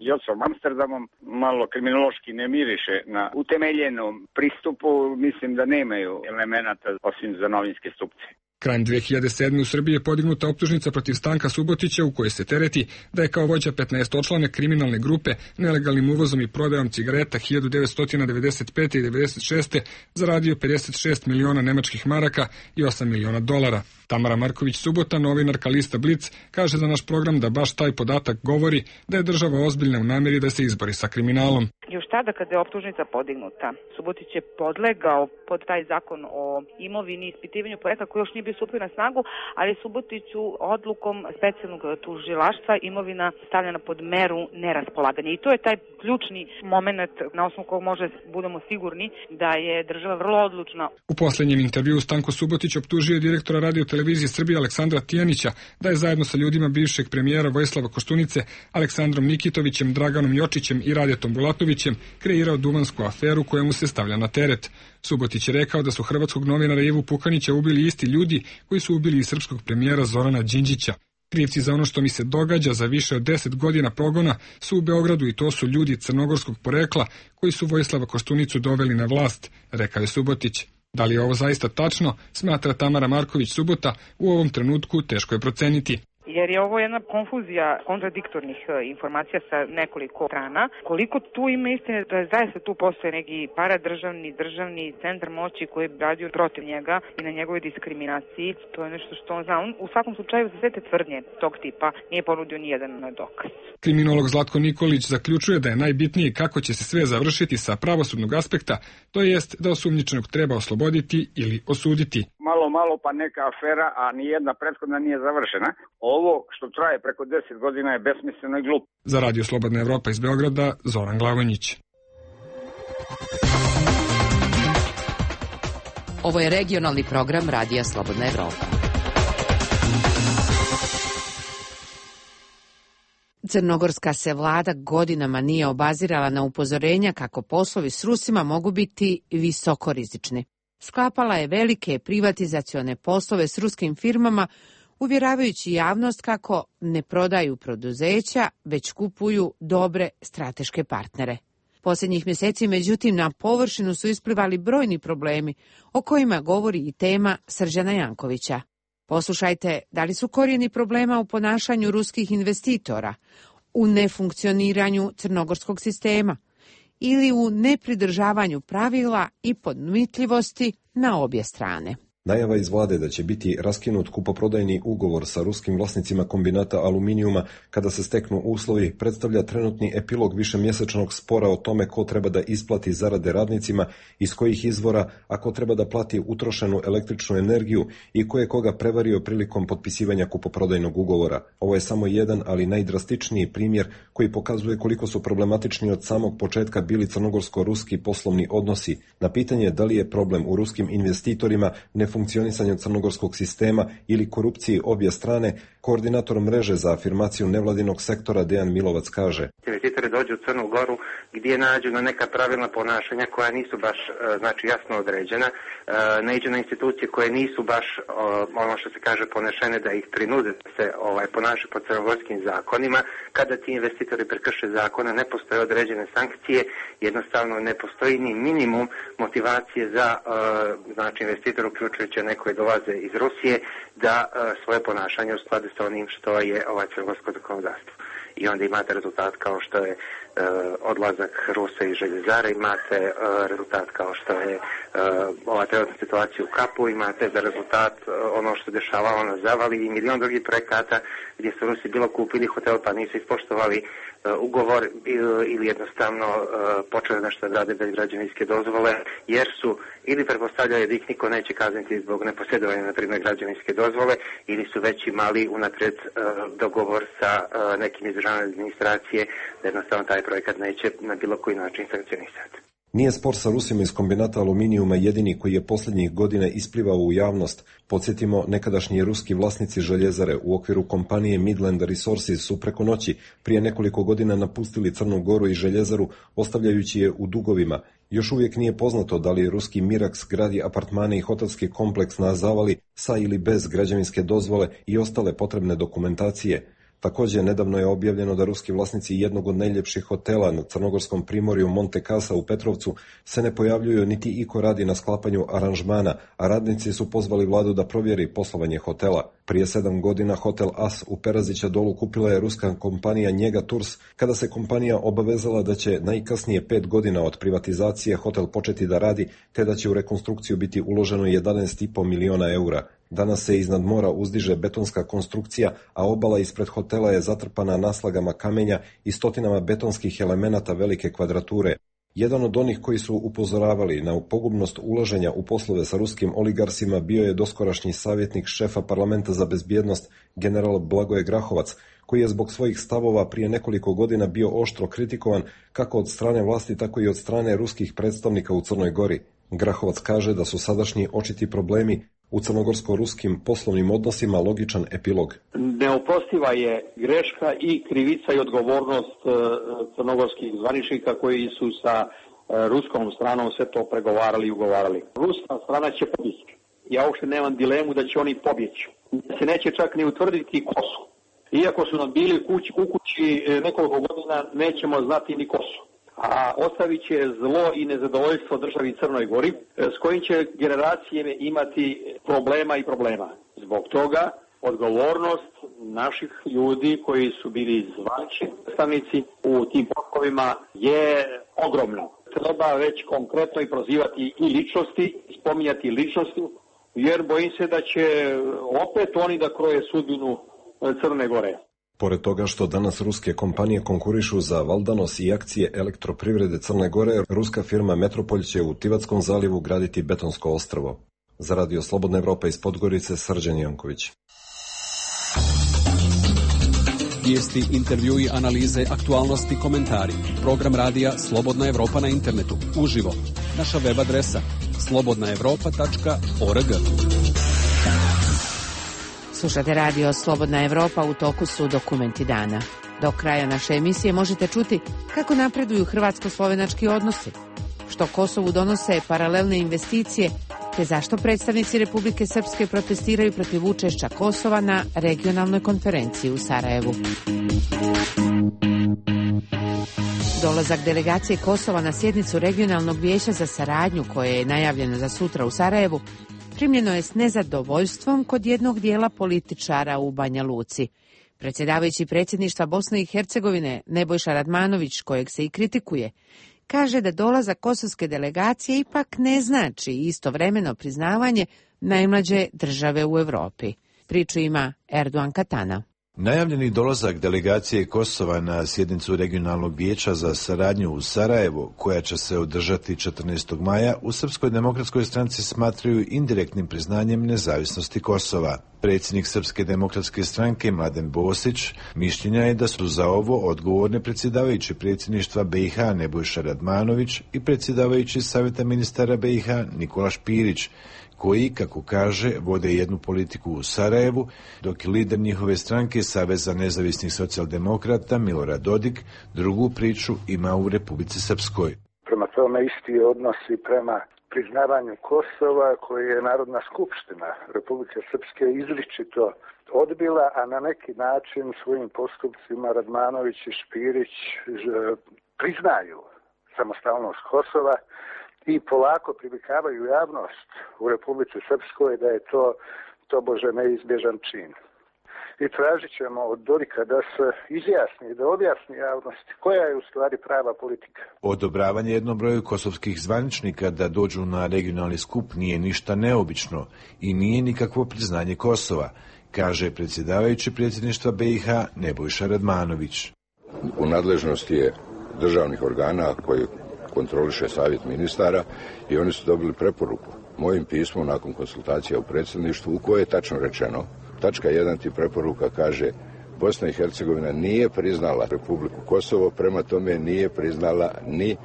Jocom Amsterdamom malo kriminološki ne miriše na utemeljenom pristupu. Mislim da nemaju elemenata osim za novinske stupce. Krajem 2007. u Srbiji je podignuta optužnica protiv Stanka Subotića u kojoj se tereti da je kao vođa 15-člane kriminalne grupe nelegalnim uvozom i prodajom cigareta 1995. i 96. zaradio 56 miliona nemačkih maraka i $8 miliona. Tamara Marković Subota, novinarka lista Blic, kaže za naš program da baš taj podatak govori da je država ozbiljna u namjeri da se izbori sa kriminalom. Još tada kada je optužnica podignuta, Subotić je podlegao pod taj zakon o imovini i ispitivanju porekla koji još nije bio stupio na snagu, ali Subotiću odlukom specijalnog tužilaštva imovina stavljena pod meru neraspolaganja. I to je taj ključni moment na osnovu kog može budemo sigurni da je država vrlo odlučna. U posljednjem intervjuu Stanko Subotić optužio direktora Radio-televizije Srbije Aleksandra Tijanića da je zajedno sa ljudima bivšeg premijera Vojislava Koštunice, Aleksandrom Nikitovićem, Draganom Jočićem i Radetom Bulatovićem kreirao duvansku aferu koja mu se stavlja na teret. Subotić je rekao da su hrvatskog novinara Ivu Pukanića ubili isti ljudi koji su ubili i srpskog premijera Zorana Đinđića. Krivci za ono što mi se događa za više od 10 godina progona su u Beogradu i to su ljudi crnogorskog porekla koji su Vojislava Koštunicu doveli na vlast, rekao je Subotić. Da li je ovo zaista tačno, smatra Tamara Marković Subota, u ovom trenutku teško je proceniti. Jer je ovo jedna konfuzija kontradiktornih informacija sa nekoliko strana. Koliko tu ima istine da zaista tu postoje neki državni centar moći koji radio protiv njega i na njegovoj diskriminaciji, to je nešto što on zna. On u svakom slučaju za sve te tvrdnje tog tipa nije ponudio ni jedan dokaz. Kriminolog Zlatko Nikolić zaključuje da je najbitnije kako će se sve završiti sa pravosudnog aspekta, to jest da osumnjičenog treba osloboditi ili osuditi. Malo pa neka afera, a nijedna prethodna nije završena. Ovo što traje preko 10 godina je besmisleno i glupo. Za Radio Slobodna Evropa iz Beograda, Zoran Glavonjić. Ovo je regionalni program Radija Slobodna Evropa. Crnogorska se vlada godinama nije obazirala na upozorenja kako poslovi s Rusima mogu biti visokorizični. Sklapala je velike privatizacione poslove s ruskim firmama, uvjeravajući javnost kako ne prodaju preduzeća, već kupuju dobre strateške partnere. Posljednjih mjeseci, međutim, na površinu su isplivali brojni problemi o kojima govori i tema Srđana Jankovića. Poslušajte, da li su korijeni problema u ponašanju ruskih investitora, u nefunkcioniranju crnogorskog sistema ili u nepridržavanju pravila i podmitljivosti na obje strane. Najava iz vlade da će biti raskinut kupoprodajni ugovor sa ruskim vlasnicima kombinata aluminijuma kada se steknu uslovi predstavlja trenutni epilog višemjesečnog spora o tome ko treba da isplati zarade radnicima, iz kojih izvora, a ko treba da plati utrošenu električnu energiju i ko je koga prevario prilikom potpisivanja kupoprodajnog ugovora. Ovo je samo jedan, ali najdrastičniji primjer koji pokazuje koliko su problematični od samog početka bili crnogorsko-ruski poslovni odnosi. Na pitanje da li je problem u ruskim investitorima nefunkcionisanju crnogorskog sistema ili korupciji obje strane, koordinator mreže za afirmaciju nevladinog sektora Dejan Milovac kaže: investitori dođu u Crnu Goru gdje nađu na neka pravilna ponašanja koja nisu baš jasno određena, naiđu na institucije koje nisu baš ono što se kaže ponešene da ih prinude da se ponašaju po crnogorskim zakonima. Kada ti investitori prekrše zakona, ne postoje određene sankcije, jednostavno ne postoji ni minimum motivacije za investitor, uključujući one koji dolaze iz Rusije, da svoje ponašanje usklade sa onim što je crnogorsko zakonodavstvo. I onda imate rezultat kao što je odlazak Rusa iz željezara, imate rezultat kao što je ova trenutna situacija u Kapu, imate za rezultat ono što se dešavalo na Zavali i milion drugih projekata gdje su Rusi bilo kupili hotel pa nisu ispoštovali ugovor ili jednostavno počeli nešto da rade bez građevinske dozvole, jer su ili pretpostavljali da ih niko neće kazniti zbog neposjedovanja, na primjer, građevinske dozvole, ili su već imali unaprijed dogovor sa nekim iz državne administracije da jednostavno taj projekat neće na bilo koji način sankcionisati. Nije spor sa Rusima iz kombinata aluminijuma jedini koji je posljednjih godina isplivao u javnost. Podsjetimo, nekadašnji ruski vlasnici željezare u okviru kompanije Midland Resources su preko noći prije nekoliko godina napustili Crnu Goru i željezaru, ostavljajući je u dugovima. Još uvijek nije poznato da li ruski Mirax gradi apartmane i hotelski kompleks na Zavali sa ili bez građevinske dozvole i ostale potrebne dokumentacije. Također, nedavno je objavljeno da ruski vlasnici jednog od najljepših hotela na crnogorskom primorju Monte Casa u Petrovcu se ne pojavljuju niti iko radi na sklapanju aranžmana, a radnici su pozvali vladu da provjeri poslovanje hotela. Prije 7 godina hotel As u Perazića Dolu kupila je ruska kompanija Njega Tours, kada se kompanija obavezala da će najkasnije 5 godina od privatizacije hotel početi da radi, te da će u rekonstrukciju biti uloženo 11,5 miliona eura. Danas se iznad mora uzdiže betonska konstrukcija, a obala ispred hotela je zatrpana naslagama kamenja i stotinama betonskih elemenata velike kvadrature. Jedan od onih koji su upozoravali na pogubnost ulaženja u poslove sa ruskim oligarsima bio je doskorašnji savjetnik šefa parlamenta za bezbjednost general Blagoje Grahovac, koji je zbog svojih stavova prije nekoliko godina bio oštro kritikovan kako od strane vlasti, tako i od strane ruskih predstavnika u Crnoj Gori. Grahovac kaže da su sadašnji očiti problemi u crnogorsko-ruskim poslovnim odnosima logičan epilog. Neoprostiva je greška i krivica i odgovornost crnogorskih zvaničnika koji su sa ruskom stranom sve to pregovarali i ugovarali. Ruska strana će pobjeći. Ja uopšte nemam dilemu da će oni pobjeći. Se neće čak ni utvrditi ko su. Iako su nam bili u kući nekoliko godina, nećemo znati ni ko su. A ostavit će zlo i nezadovoljstvo državi Crnoj Gori, s kojim će generacije imati problema i problema. Zbog toga odgovornost naših ljudi koji su bili zvanični predstavnici u tim poslovima je ogromno. Treba već konkretno i prozivati i ličnosti, spominjati ličnosti, jer bojim se da će opet oni da kroje sudbinu Crne Gore. Pored toga što danas ruske kompanije konkurišu za valdanos i akcije elektroprivrede Crne Gore, ruska firma Metropolj će u Tivatskom zalivu graditi betonsko ostrvo. Za Radio Slobodna Evropa iz Podgorice, Srđan Janković. Vijesti, intervjui, analize, aktualnosti, komentari. Program radija Slobodna Evropa na internetu. Uživo. Naša web adresa slobodnaevropa.org. Slušate radio Slobodna Evropa, u toku su dokumenti dana. Do kraja naše emisije možete čuti kako napreduju hrvatsko-slovenački odnosi, što Kosovu donose paralelne investicije, te zašto predstavnici Republike Srpske protestiraju protiv učešća Kosova na regionalnoj konferenciji u Sarajevu. Dolazak delegacije Kosova na sjednicu regionalnog vijeća za saradnju, koje je najavljeno za sutra u Sarajevu, primljeno je s nezadovoljstvom kod jednog dijela političara u Banja Luci. Predsjedavajući predsjedništva Bosne i Hercegovine Nebojša Radmanović, kojeg se i kritikuje, kaže da dolazak kosovske delegacije ipak ne znači istovremeno priznavanje najmlađe države u Europi. Priču ima Erdogan Katana. Najavljeni dolazak delegacije Kosova na sjednicu regionalnog vijeća za saradnju u Sarajevo, koja će se održati 14. maja, u Srpskoj demokratskoj stranci smatraju indirektnim priznanjem nezavisnosti Kosova. Predsjednik Srpske demokratske stranke Mladen Bosić mišljenja je da su za ovo odgovorne predsjedavajući predsjedništva BiH Nebojša Radmanović i predsjedavajući Savjeta ministara BiH Nikola Špirić, koji, kako kaže, vode jednu politiku u Sarajevu, dok je lider njihove stranke Saveza nezavisnih socijaldemokrata Milorad Dodik drugu priču ima u Republici Srpskoj. Prema tome isti je odnos i prema priznavanju Kosova, koji je Narodna skupština Republike Srpske izričito odbila, a na neki način svojim postupcima Radmanović i Špirić priznaju samostalnost Kosova i polako privikavaju javnost u Republici Srpskoj da je to tobože neizbježan čin. I tražit ćemo od Dodika da se izjasni, da objasni javnosti koja je u stvari prava politika. Odobravanje jednom broju kosovskih zvaničnika da dođu na regionalni skup nije ništa neobično i nije nikakvo priznanje Kosova, kaže predsjedavajući predsjedništva BiH Nebojša Radmanović. U nadležnosti je državnih organa koji kontroliše savjet ministara i oni su dobili preporuku mojim pismom nakon konsultacija u predsjedništvu u kojoj je tačno rečeno, tačka 1 ti preporuka kaže: Bosna i Hercegovina nije priznala Republiku Kosovo, prema tome nije priznala ni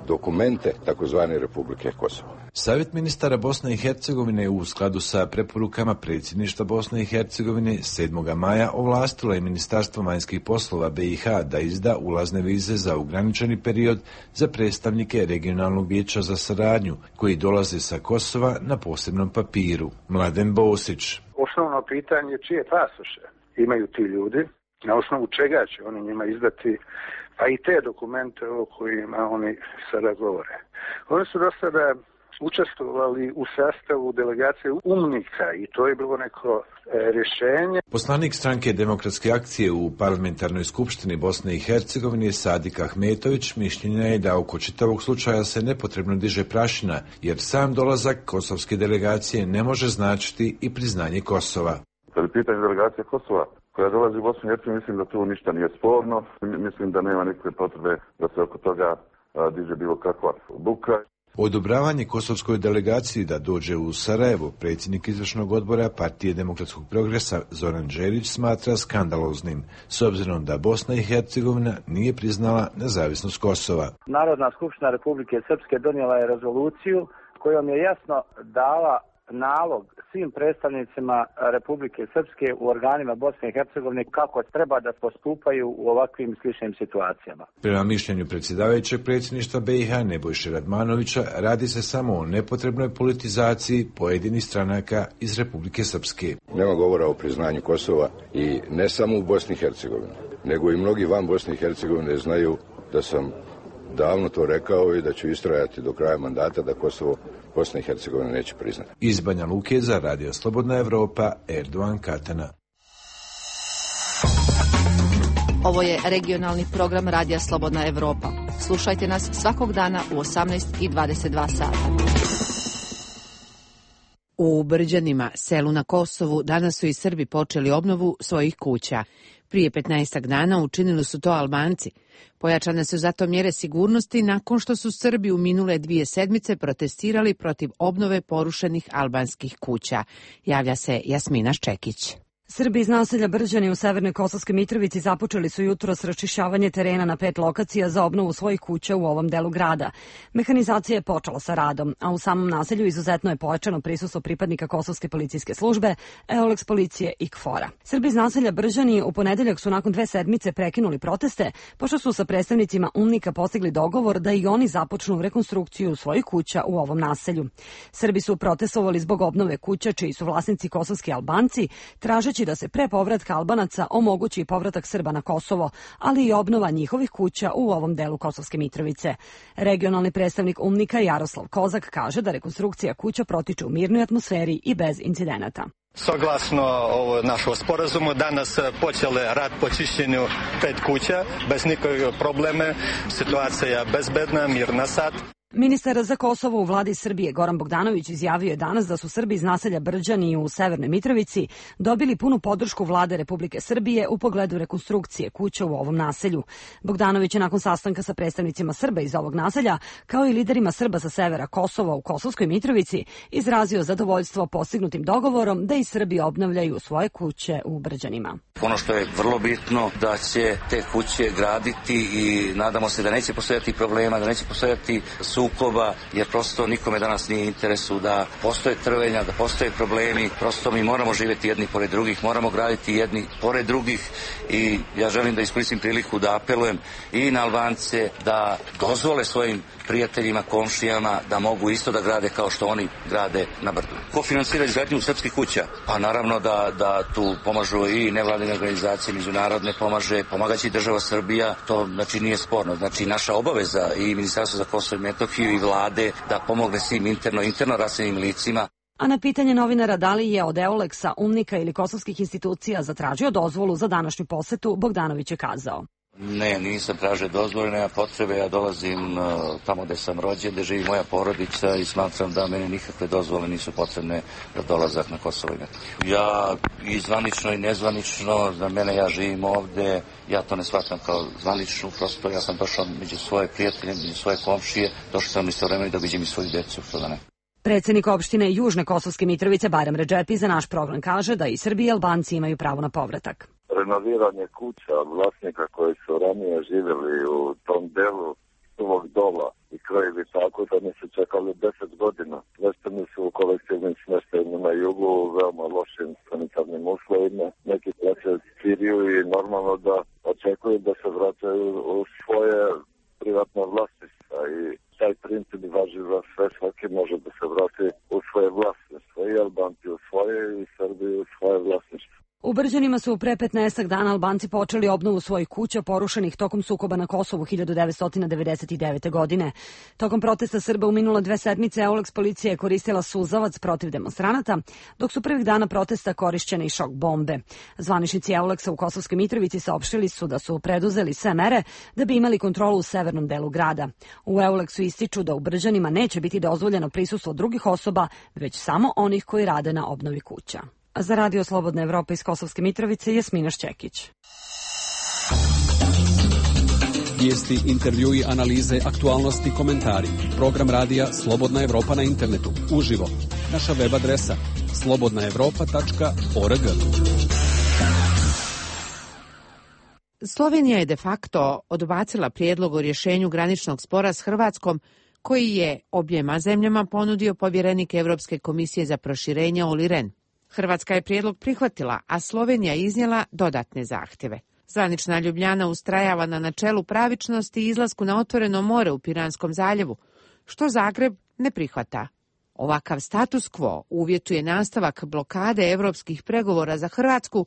dokumente takozvane Republike Kosovo. Savjet ministara Bosne i Hercegovine u skladu sa preporukama predsjedništva Bosne i Hercegovine 7. maja ovlastilo je Ministarstvo vanjskih poslova BiH da izda ulazne vize za ograničeni period za predstavnike regionalnog vijeća za saradnju koji dolaze sa Kosova na posebnom papiru. Mladen Bosić. Osnovno pitanje je čije pasoše imaju ti ljudi, na osnovu čega će oni njima izdati, pa i te dokumente o kojima oni sada govore. Oni su do sada učestvovali u sastavu delegacije umnika i to je bilo neko rješenje. Poslanik stranke Demokratske akcije u parlamentarnoj skupštini Bosne i Hercegovine Sadik Ahmetović mišljenja je da oko čitavog slučaja se nepotrebno diže prašina, jer sam dolazak kosovske delegacije ne može značiti i priznanje Kosova. Kad je pitanje delegacije Kosova koja dolazi u Bosnu i Hercegovinu, mislim da tu ništa nije sporno. Mislim da nema nikakve potrebe da se oko toga diže bilo kakva buka. Odobravanje kosovskoj delegaciji da dođe u Sarajevo predsjednik izvršnog odbora Partije demokratskog progresa Zoran Đelić smatra skandaloznim, s obzirom da Bosna i Hercegovina nije priznala nezavisnost Kosova. Narodna skupština Republike Srpske donijela je rezoluciju kojom je jasno dala nalog svim predstavnicima Republike Srpske u organima Bosne i Hercegovine kako treba da postupaju u ovakvim sličnim situacijama. Prema mišljenju predsjedavajućeg predsjedništva BiH Nebojše Radmanovića radi se samo o nepotrebnoj politizaciji pojedinih stranaka iz Republike Srpske. Nema govora o priznanju Kosova i ne samo u Bosni i Hercegovini, nego i mnogi van Bosne i Hercegovine znaju da sam davno to rekao i da ću istrajati do kraja mandata da Kosovo Bosna i Hercegovina neće priznati. Iz Banja Luke za Radio Slobodna Evropa, Erdogan Katana. Ovo je regionalni program Radija Slobodna Evropa. Slušajte nas svakog dana u 18:22 sata. U Brđanima, selu na Kosovu, danas su i Srbi počeli obnovu svojih kuća. Prije 15 dana učinili su to Albanci. Pojačane su zato mjere sigurnosti nakon što su Srbi u minule 2 sedmice protestirali protiv obnove porušenih albanskih kuća. Javlja se Jasmina Ščekić. Srbi iz naselja Brđani u Severnoj Kosovskoj Mitrovici započeli su jutros raščišćavanje terena na 5 lokacija za obnovu svojih kuća u ovom delu grada. Mehanizacija je počela sa radom, a u samom naselju izuzetno je pojačano prisustvo pripadnika Kosovske policijske službe, EOLEX policije i KFOR-a. Srbi iz naselja Brđani u ponedeljak su nakon 2 sedmice prekinuli proteste, pošto su sa predstavnicima UNMIK-a postigli dogovor da i oni započnu rekonstrukciju svojih kuća u ovom naselju. Srbi su protestovali zbog obnove kuća čiji su vlasnici kosovski Albanci, tražeći da se pre povratka Albanaca omogući povratak Srba na Kosovo, ali i obnova njihovih kuća u ovom delu Kosovske Mitrovice. Regionalni predstavnik UNMIK-a Jaroslav Kozak kaže da rekonstrukcija kuća protiče u mirnoj atmosferi i bez incidenata. Saglasno našo sporazumu, danas počele rad po čišćenju 5 kuća, bez nikakve probleme, situacija bezbedna, mirna sad. Ministar za Kosovo u vladi Srbije Goran Bogdanović izjavio je danas da su Srbi iz naselja Brđani u Severnoj Mitrovici dobili punu podršku vlade Republike Srbije u pogledu rekonstrukcije kuća u ovom naselju. Bogdanović je nakon sastanka sa predstavnicima Srba iz ovog naselja, kao i liderima Srba sa severa Kosova u Kosovskoj Mitrovici, izrazio zadovoljstvo postignutim dogovorom da i Srbi obnavljaju svoje kuće u Brđanima. Ono što je vrlo bitno da će te kuće graditi i nadamo se da neće postojati problema, da neće postojati sukoba, jer prosto nikome danas nije interesu da postoje trvenja, da postoje problemi, prosto mi moramo živjeti jedni pored drugih, moramo graditi jedni pored drugih i ja želim da iskoristim priliku da apelujem i na Albance da dozvole svojim prijateljima, komšijama da mogu isto da grade kao što oni grade na brdu. Ko finansira izgradnju srpskih kuća? Pa naravno da tu pomažu i nevladine organizacije, međunarodne pomagaće i država Srbija, to znači nije sporno. Znači naša obaveza i Ministarstvo za Kosovo i Metohiju i vlade da pomogne svim interno raseljenim licima. A na pitanje novinara da li je od EOLEX-a, UNMIK-a ili kosovskih institucija zatražio dozvolu za današnju posetu, Bogdanović je kazao. Ne, nisam tražio dozvole, nema potrebe, ja dolazim tamo gde sam rođen, gde živi moja porodica i smatram da meni nikakve dozvole nisu potrebne za dolazak na Kosovo i Metohiju. Ja i zvanično i nezvanično, za mene ja živim ovde, ja to ne shvatam kao zvaničnu, prosto ja sam došao među svoje prijatelje, među svoje komšije, došao sam istovremeno da vidim i svoju decu, što da ne. Predsjednik opštine Južne Kosovske Mitrovice Bajram Redžepi za naš program kaže da i Srbi i Albanci imaju pravo na povratak. Renoviranje kuća od vlasnika koji su ranije živjeli u tom delu Suvog dola i krajevi tako da nisu čekali 10 godina. Smješteni su u kolektivnim smještajima na jugu u veoma lošim sanitarnim uslovima. Neki plaćaju Siriju i normalno da očekuju da se vraćaju u svoje privatno vlasništvo i taj princip važi za sve, svaki može da se vrati u svoje vlasništvo, i Albanci u svoje i Srbi u svoje vlasništvo. U Brđanima su pre 15 dana Albanci počeli obnovu svojih kuća porušenih tokom sukoba na Kosovu 1999. godine. Tokom protesta Srba u minule 2 sedmice EOLEX policija je koristila suzavac protiv demonstranata, dok su prvih dana protesta korišćene i šok bombe. Zvaničnici EOLEX-a u Kosovskoj Mitrovici saopštili su da su preduzeli sve mere da bi imali kontrolu u severnom delu grada. U EOLEX-u ističu da u Brđanima neće biti dozvoljeno prisustvo drugih osoba, već samo onih koji rade na obnovi kuća. A za Radio Slobodna Evropa iz Kosovske Mitrovice Jasmina Ščekić. Vijesti, intervjui, analize, aktualnosti, komentari. Program radija Slobodna Evropa na internetu. Uživo. Naša web adresa slobodnaevropa.org. Slovenija je de facto odbacila prijedlog o rješenju graničnog spora s Hrvatskom koji je objema zemljama ponudio povjerenik Evropske komisije za proširenje Olli Rehn. Hrvatska je prijedlog prihvatila, a Slovenija iznijela dodatne zahtjeve. Zvanična Ljubljana ustrajava na načelu pravičnosti i izlasku na otvoreno more u Piranskom zaljevu, što Zagreb ne prihvata. Ovakav status quo uvjetuje nastavak blokade evropskih pregovora za Hrvatsku,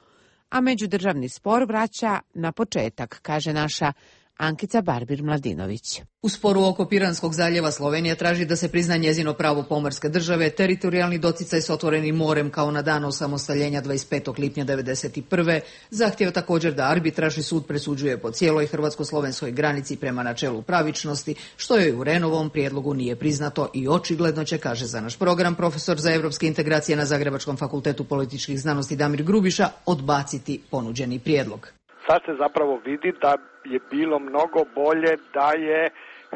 a međudržavni spor vraća na početak, kaže naša Ankica Barbir-Mladinović. U sporu oko Piranskog zaljeva Slovenija traži da se prizna njezino pravo pomorske države, teritorijalni doticaj s otvorenim morem kao na dan osamostaljenja 25. lipnja 1991. Zahtjeva također da arbitražni sud presuđuje po cijeloj hrvatsko-slovenskoj granici prema načelu pravičnosti, što joj u Rehnovom prijedlogu nije priznato i očigledno će, kaže za naš program profesor za europske integracije na Zagrebačkom fakultetu političkih znanosti Damir Grubiša, odbaciti ponuđeni prijedlog. Sad se zapravo vidi da je bilo mnogo bolje da je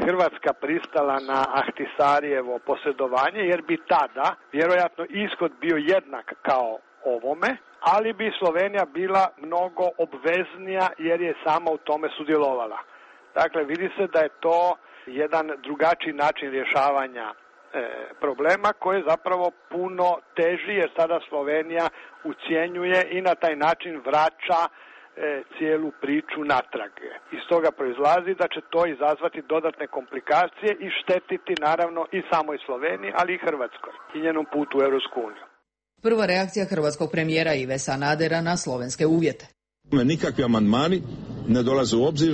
Hrvatska pristala na Ahtisarijevo posjedovanje, jer bi tada vjerojatno ishod bio jednak kao ovome, ali bi Slovenija bila mnogo obveznija jer je sama u tome sudjelovala. Dakle, vidi se da je to jedan drugačiji način rješavanja problema koji je zapravo puno teži, jer sada Slovenija ucjenjuje i na taj način vraća cijelu priču natrag. Iz toga proizlazi da će to izazvati dodatne komplikacije i štetiti naravno i samoj Sloveniji, ali i Hrvatskoj i njenom putu u Europsku uniju. Prva reakcija hrvatskog premijera Ive Sanadera na slovenske uvjete. Nikakvi amandmani ne dolaze u obzir,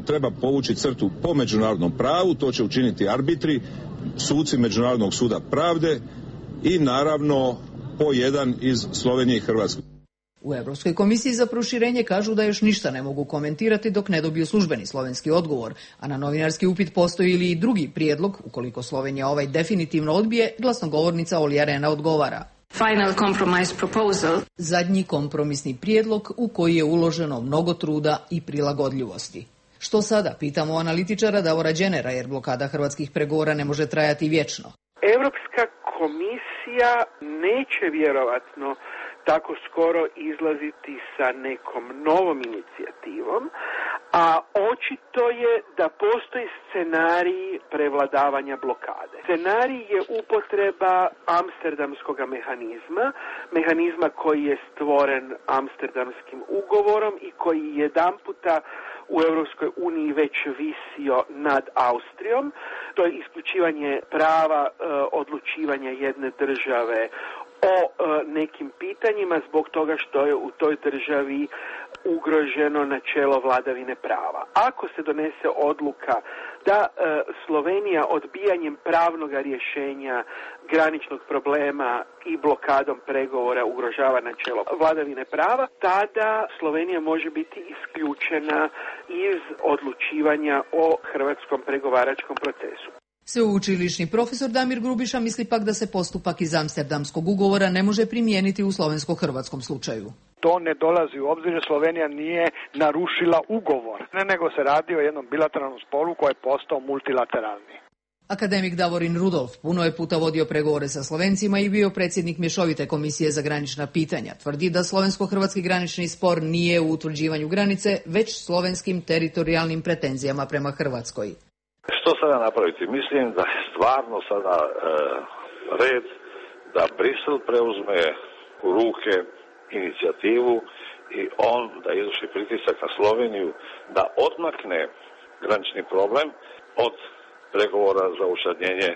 treba povući crtu po međunarodnom pravu, to će učiniti arbitri, suci Međunarodnog suda pravde i naravno po jedan iz Slovenije i Hrvatske. U Europskoj komisiji za proširenje kažu da još ništa ne mogu komentirati dok ne dobiju službeni slovenski odgovor, a na novinarski upit postoji li i drugi prijedlog, ukoliko Slovenija ovaj definitivno odbije, glasnogovornica Olja Rehna odgovara. Final compromise proposal. Zadnji kompromisni prijedlog u koji je uloženo mnogo truda i prilagodljivosti. Što sada, pitamo analitičara Davora Đenera, jer blokada hrvatskih pregovora ne može trajati vječno. Europska komisija neće vjerovatno tako skoro izlaziti sa nekom novom inicijativom, a očito je da postoji scenarij prevladavanja blokade. Scenarij je upotreba amsterdamskog mehanizma koji je stvoren Amsterdamskim ugovorom i koji jedanputa u Europskoj uniji već visio nad Austrijom. To je isključivanje prava odlučivanja jedne države o nekim pitanjima zbog toga što je u toj državi ugroženo načelo vladavine prava. Ako se donese odluka da Slovenija odbijanjem pravnog rješenja graničnog problema i blokadom pregovora ugrožava načelo vladavine prava, tada Slovenija može biti isključena iz odlučivanja o hrvatskom pregovaračkom procesu. Sveučilišni profesor Damir Grubiša misli pak da se postupak iz Amsterdamskog ugovora ne može primijeniti u slovensko-hrvatskom slučaju. To ne dolazi u obzir, Slovenija nije narušila ugovor, nego se radi o jednom bilateralnom sporu koji je postao multilateralni. Akademik Davorin Rudolf puno je puta vodio pregovore sa Slovencima i bio predsjednik Mješovite komisije za granična pitanja. Tvrdi da slovensko-hrvatski granični spor nije u utvrđivanju granice, već slovenskim teritorijalnim pretenzijama prema Hrvatskoj. Što sada napraviti? Mislim da je stvarno sada red da Brisel preuzme u ruke inicijativu i on da izvrši pritisak na Sloveniju da odmakne granični problem od pregovora za učlanjenje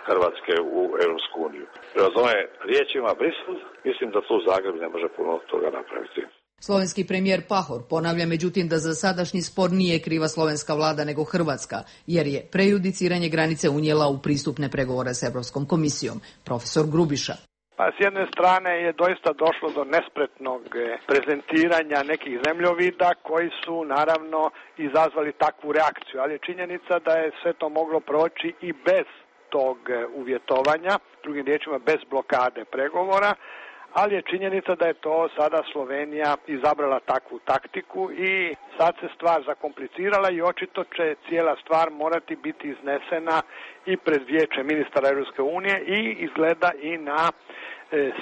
Hrvatske u Europsku uniju. Prema tome, riječima Brisel, mislim da tu Zagreb ne može puno toga napraviti. Slovenski premijer Pahor ponavlja međutim da za sadašnji spor nije kriva slovenska vlada nego Hrvatska, jer je prejudiciranje granice unijela u pristupne pregovore s Europskom komisijom. Profesor Grubiša. Pa s jedne strane je doista došlo do nespretnog prezentiranja nekih zemljovida koji su naravno izazvali takvu reakciju, ali je činjenica da je sve to moglo proći i bez tog uvjetovanja, drugim riječima bez blokade pregovora, ali je činjenica da je to sada Slovenija izabrala takvu taktiku i sad se stvar zakomplicirala i očito će cijela stvar morati biti iznesena i pred vijeće ministara Europske unije i izgleda i na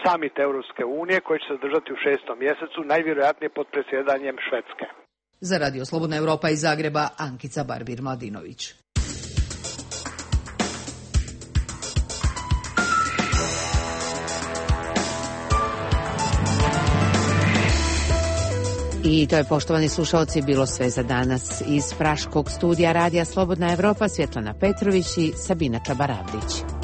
summit Europske unije koji će se održati u 6. mjesecu, najvjerojatnije pod predsjedanjem Švedske. Za Radio Slobodna Europa iz Zagreba, Ankica Barbir-Mladinović. I to je, poštovani slušalci, bilo sve za danas. Iz praškog studija Radija Slobodna Europa Svjetlana Petrović i Sabina Čabaravdić.